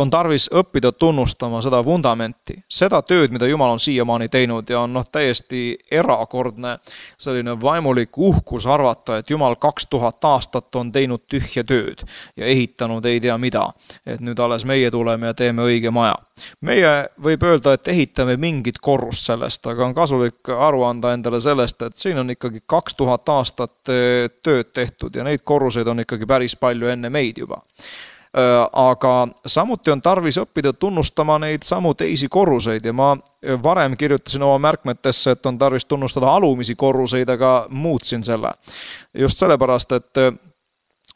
On tarvis õppida tunnustama seda vundamenti, seda tööd, mida Jumal on siiamaani teinud ja on täiesti erakordne selline vaimulik uhkus arvata, et Jumal 2000 aastat on teinud tühja tööd ja ehitanud ei tea mida, et nüüd alles meie tuleme ja teeme õige maja. Meie võib öelda, et ehitame mingit korrust sellest, aga on kasulik aru anda endale sellest, et siin on ikkagi 2000 aastat tööd tehtud ja neid korruseid on ikkagi päris palju enne meid juba. Aga samuti on tarvis õppida tunnustama neid samu teisi korruseid ja ma varem kirjutasin oma märkmetesse, et on tarvis tunnustada alumisi korruseid, aga muutsin selle. Just sellepärast, et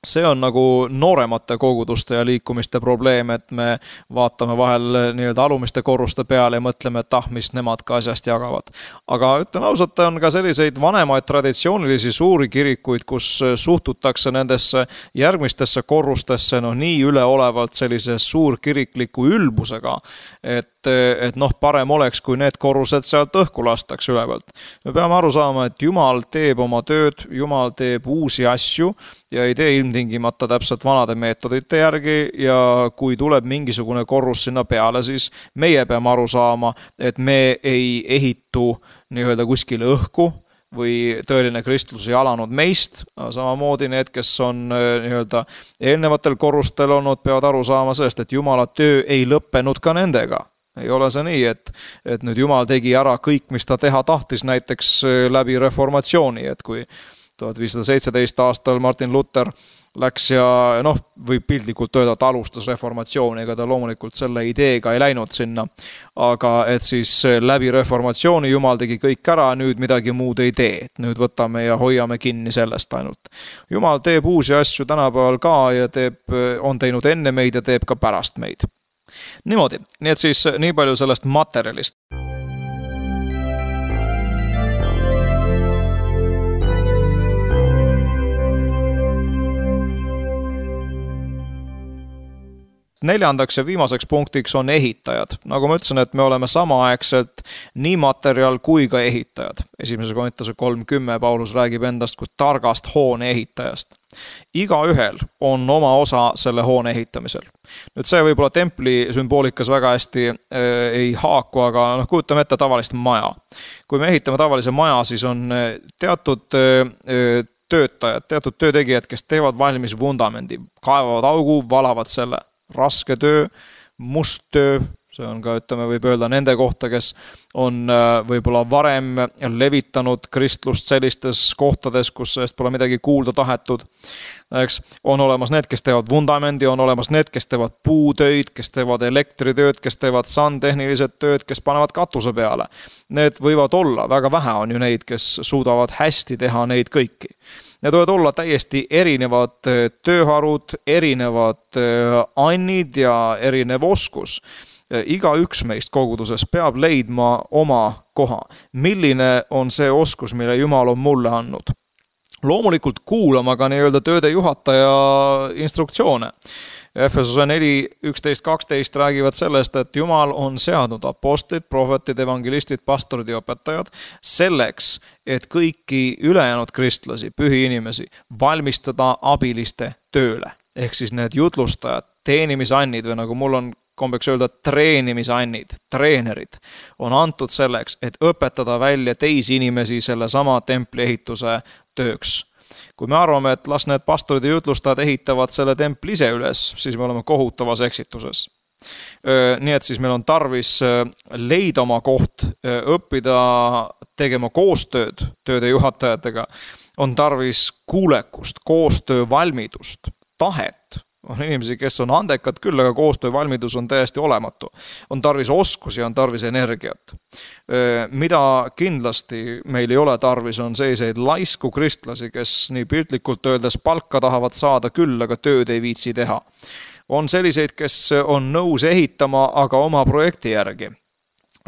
see on nagu nooremate koguduste ja liikumiste probleem, et me vaatame vahel nii-öelda alumiste korruste peale ja mõtleme, et mis nemad ka asjast jagavad. Aga ütlen ausalt, on ka selliseid vanemaid traditsioonilisi suuri kirikuid, kus suhtutakse nendesse järgmistesse korrustesse nii üleolevalt sellise suurkirikliku ülbusega, et parem oleks, kui need korrused sealt õhku lastaks ülevalt. Me peame aru saama, et Jumal teeb oma tööd, Jumal teeb uusi asju ja ei tee ilmtingimata täpselt vanade meetodite järgi ja kui tuleb mingisugune korrus sinna peale, siis meie peame aru saama, et me ei ehitu nii-öelda kuskile õhku või tõeline kristlus ei alanud meist, samamoodi need, kes on nii-öelda eelnevatel korrustel olnud, peavad aru saama sellest, et Jumala töö ei lõppenud ka nendega. Ei ole see nii, et nüüd Jumal tegi ära kõik, mis ta teha tahtis näiteks läbi reformatsiooni, et kui 1517 aastal Martin Luther läks ja võib piltlikult öelda, et alustas reformatsiooni, ega ta loomulikult selle ideega ei läinud sinna, aga et siis läbi reformatsiooni Jumal tegi kõik ära, nüüd midagi muud ei tee, et nüüd võtame ja hoiame kinni sellest ainult. Jumal teeb uusi asju tänapäeval ka ja on teinud enne meid ja teeb ka pärast meid. Niimoodi, nii et siis nii palju sellest materjalist. neljandaks ja viimaseks punktiks on ehitajad. Nagu ma ütlesin, et me oleme samaaegselt nii materjal kui ka ehitajad. 1. Korintuse 3:10 Paulus räägib endast kui targast hoone ehitajast. Igaühel on oma osa selle hoone ehitamisel. Nüüd see võib-olla templi sümboolikas väga hästi ei haaku, aga kujutame ette tavalist maja. Kui me ehitame tavalise maja, siis on teatud töötajad, teatud töötegijad, kes teevad valmis vundamendi, kaevavad augu, valavad selle. Raske töö, must töö, see on ka, võib öelda nende kohta, kes on võib-olla varem levitanud kristlust sellistes kohtades, kus sellest pole midagi kuulda tahetud. Eks, on olemas need, kes teevad vundamendi, on olemas need, kes teevad puutöid, kes teevad elektritööd, kes teevad sandtehnilised tööd, kes panevad katuse peale. Need võivad olla, väga vähe on ju neid, kes suudavad hästi teha neid kõiki. Need võivad olla täiesti erinevad tööharud, erinevad annid ja erinev oskus. Iga üks meist koguduses peab leidma oma koha. Milline on see oskus, mille Jumal on mulle andnud? Loomulikult kuulama ka nii-öelda tööde juhataja instruktsioone. Efesuse 4:11-12 räägivad sellest, et Jumal on seadnud apostlid, prohvetid, evangelistid, pastorid ja õpetajad selleks, et kõiki ülejäänud kristlasi, pühi inimesi, valmistada abiliste tööle. Ehk siis need jutlustajad, teenimisannid või nagu mul on kombeks öelda treenimisannid, treenerid on antud selleks, et õpetada välja teisi inimesi selle sama templi ehituse tööks. Kui me arvame, et las need pastorid ja jutlustajad ehitavad selle templi ise üles, siis me oleme kohutavas eksituses. Nii et siis meil on tarvis leida oma koht, õppida tegema koostööd tööde juhatajatega, on tarvis kuulekust, koostöövalmidust, tahet. On inimesi, kes on andekad küll, aga koostöövalmidus on täiesti olematu. On tarvis oskusi, on tarvis energiat. Mida kindlasti meil ei ole tarvis, on selliseid laisku kristlasi, kes nii piltlikult öeldes palka tahavad saada küll, aga tööd ei viitsi teha. On selliseid, kes on nõus ehitama, aga oma projekti järgi.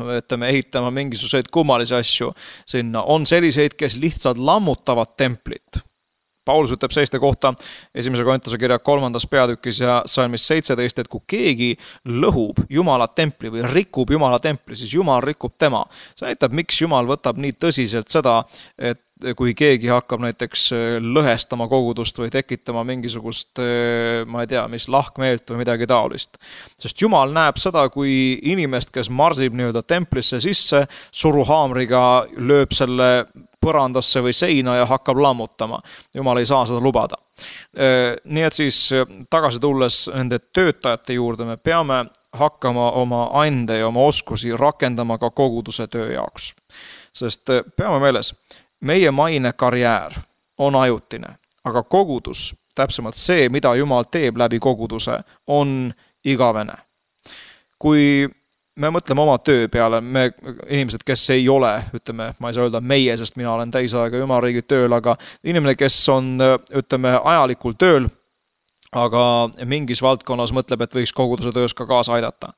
Ehitama mingisuguseid kummalisi asju sinna. On selliseid, kes lihtsalt lammutavad templit. Paulus ütleb selliste kohta 1. Korintuse kirja 3. peatükis ja salmis 17, et kui keegi lõhub Jumala templi või rikub Jumala templi, siis Jumal rikub tema. See näitab, miks Jumal võtab nii tõsiselt seda, et kui keegi hakkab näiteks lõhestama kogudust või tekitama mingisugust, ma ei tea, mis lahkmeelt või midagi taolist. Sest Jumal näeb seda, kui inimest, kes marsib nii-öelda templisse sisse, suruhaamriga lööb selle põrandasse või seina ja hakkab lammutama. Jumal ei saa seda lubada. Nii et siis tagasi tulles nende töötajate juurde me peame hakkama oma ande ja oma oskusi rakendama ka koguduse töö jaoks. Sest peame meeles, meie maine karjäär on ajutine, aga kogudus, täpsemalt see, mida Jumal teeb läbi koguduse, on igavene. Kui me mõtleme oma töö peale, me inimesed, kes ei ole, ütleme, ma ei saa öelda meie, sest mina olen täisaega Jumalariigi tööl, aga inimene, kes on, ütleme, ajalikul tööl, aga mingis valdkonnas mõtleb, et võiks koguduse töös ka kaasa aidata.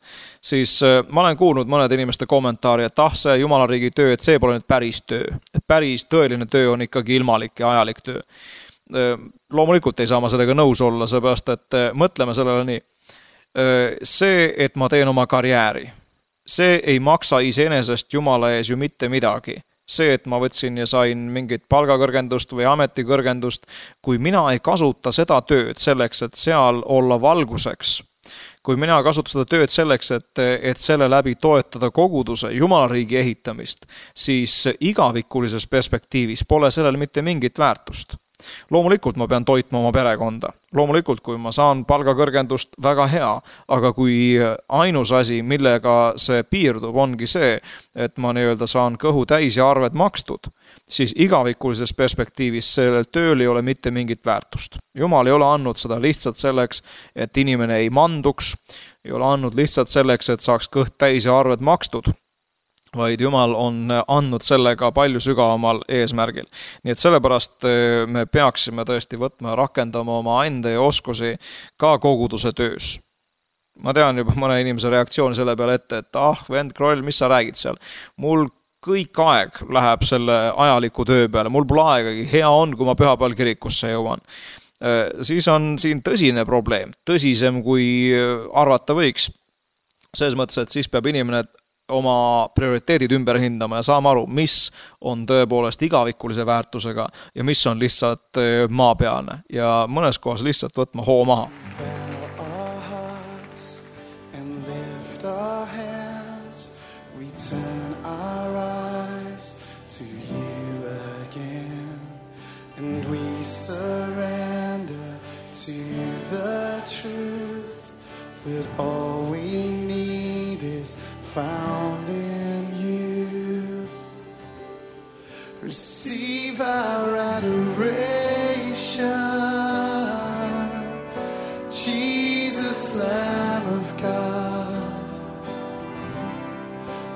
Siis ma olen kuulnud mõned inimeste kommentaari, et see Jumalariigi töö, et see pole nüüd päris töö. Et päris tõeline töö on ikkagi ilmalik ja ajalik töö. Loomulikult ei saa ma sellega nõus olla, seepärast, et mõtleme sellele nii. See, et ma teen oma karjääri, see ei maksa iseenesest Jumala ees ju mitte midagi. See, et ma võtsin ja sain mingit palgakõrgendust või ametikõrgendust, kui mina ei kasuta seda tööd selleks, et seal olla valguseks, kui mina kasutan seda tööd selleks, et selle läbi toetada koguduse, Jumalariigi ehitamist, siis igavikulises perspektiivis pole sellel mitte mingit väärtust. Loomulikult ma pean toitma oma perekonda. Loomulikult, kui ma saan palgakõrgendust, väga hea, aga kui ainus asi, millega see piirdub, ongi see, et ma nii-öelda saan kõhu täis ja arved makstud, siis igavikulises perspektiivis sellel tööl ei ole mitte mingit väärtust. Jumal ei ole andnud seda lihtsalt selleks, et inimene ei manduks, ei ole andnud lihtsalt selleks, et saaks kõht täis ja arved makstud, vaid Jumal on andnud sellega palju sügavamal eesmärgil. Nii et sellepärast me peaksime tõesti võtma ja rakendama oma enda ja oskusi ka koguduse töös. Ma tean juba mõne inimese reaktsiooni selle peale ette, et vend Kroll, mis sa räägid seal? Mul kõik aeg läheb selle ajaliku töö peale, mul pole aegagi, hea on, kui ma pühapäeval kirikusse jõuan. siis on siin tõsine probleem, tõsisem kui arvata võiks. Selles mõttes, et siis peab inimene oma prioriteedid ümber hindama ja saama aru, mis on tõepoolest igavikulise väärtusega ja mis on lihtsalt maapealne ja mõnes kohas lihtsalt võtma hoo maha. Turn our eyes to you again, and we surrender to the truth that all we need is found in you. Receive our adoration, Jesus, Lamb of God.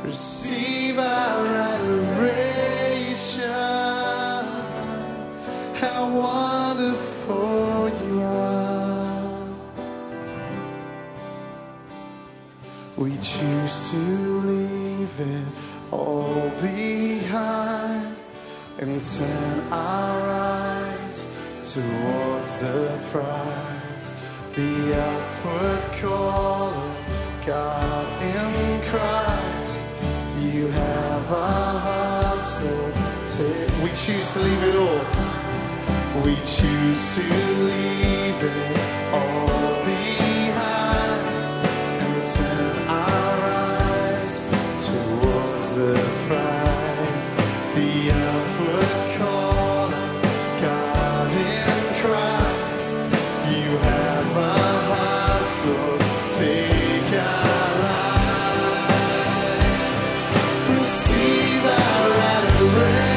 Receive our adoration. How wonderful you are. We choose to leave it all behind and turn our eyes towards the prize, the upward call of God in Christ. You have our hearts, Lord. We choose to leave it all. We choose to leave it all behind and turn our eyes towards the prize, the upward call of God in Christ. You have our hearts, Lord. Take our lives. Receive our adoration.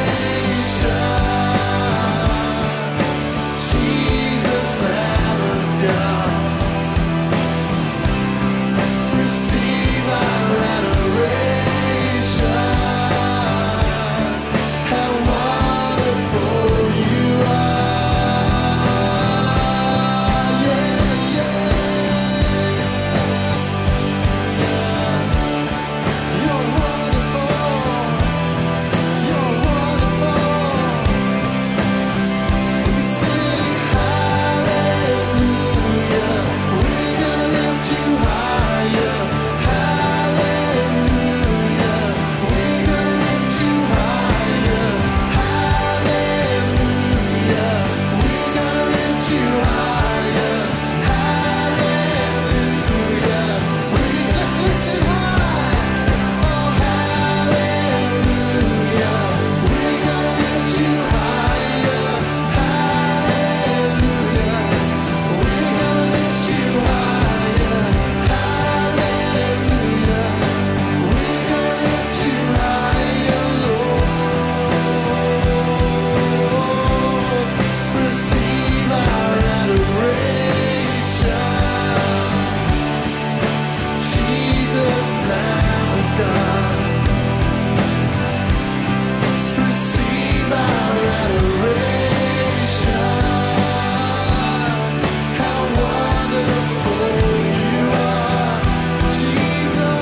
Jesus, Lamb of God. Receive our adoration. How wonderful you are. Yeah, yeah. You're wonderful. You're wonderful. We sing hallelujah. We're gonna lift you higher. Hallelujah. We're gonna lift you higher. Hallelujah. We're gonna lift you higher. Hallelujah. Let's lift it high. Oh, hallelujah. We're gonna lift you higher. Hallelujah. We're gonna lift you higher. Hallelujah. We're gonna lift you higher, Lord. Receive our adoration. Jesus, Lamb of God. Receive our adoration. How wonderful you are, Jesus.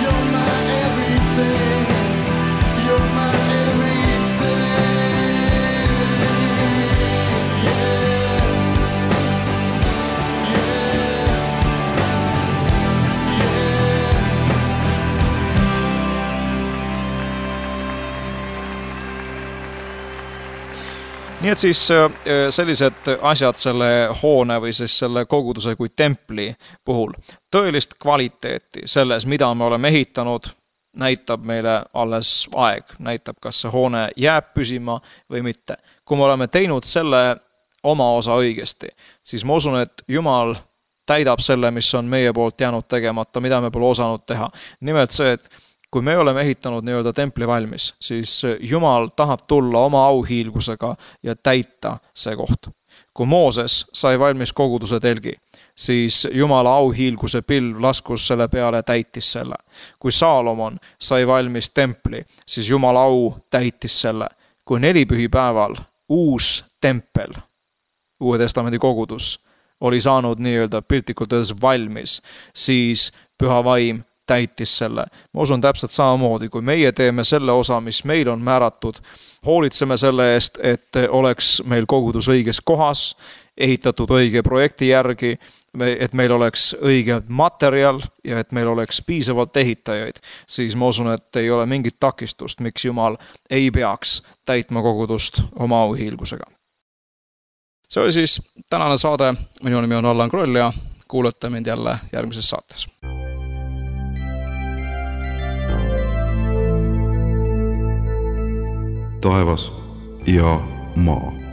You're my everything. You're my everything. Yeah. Nii et siis sellised asjad selle hoone või siis selle koguduse kui templi puhul. Tõelist kvaliteeti selles, mida me oleme ehitanud, näitab meile alles aeg. Näitab, kas see hoone jääb püsima või mitte. Kui me oleme teinud selle oma osa õigesti, siis ma usun, et Jumal täidab selle, mis on meie poolt jäänud tegemata, mida me pole osanud teha. Nimelt see, et kui me oleme ehitanud nii-öelda templi valmis, siis Jumal tahab tulla oma auhiilgusega ja täita see koht. Kui Mooses sai valmis koguduse telgi, siis Jumala auhiilguse pilv laskus selle peale ja täitis selle. Kui Saalomon sai valmis templi, siis Jumala au täitis selle. Kui nelipühipäeval uus tempel, Uue Testamendi kogudus, oli saanud nii-öelda piltlikult öeldes valmis, siis Püha Vaim täitis selle. Ma usun täpselt samamoodi, kui meie teeme selle osa, mis meil on määratud, hoolitseme selle eest, et oleks meil kogudus õiges kohas, ehitatud õige projekti järgi, et meil oleks õige materjal ja et meil oleks piisavalt ehitajaid, siis ma usun, et ei ole mingit takistust, miks Jumal ei peaks täitma kogudust oma auhiilgusega. See oli siis tänane saade, minu nimi on Allan Kroll ja kuulete mind jälle järgmises saates. Taevas ja maa.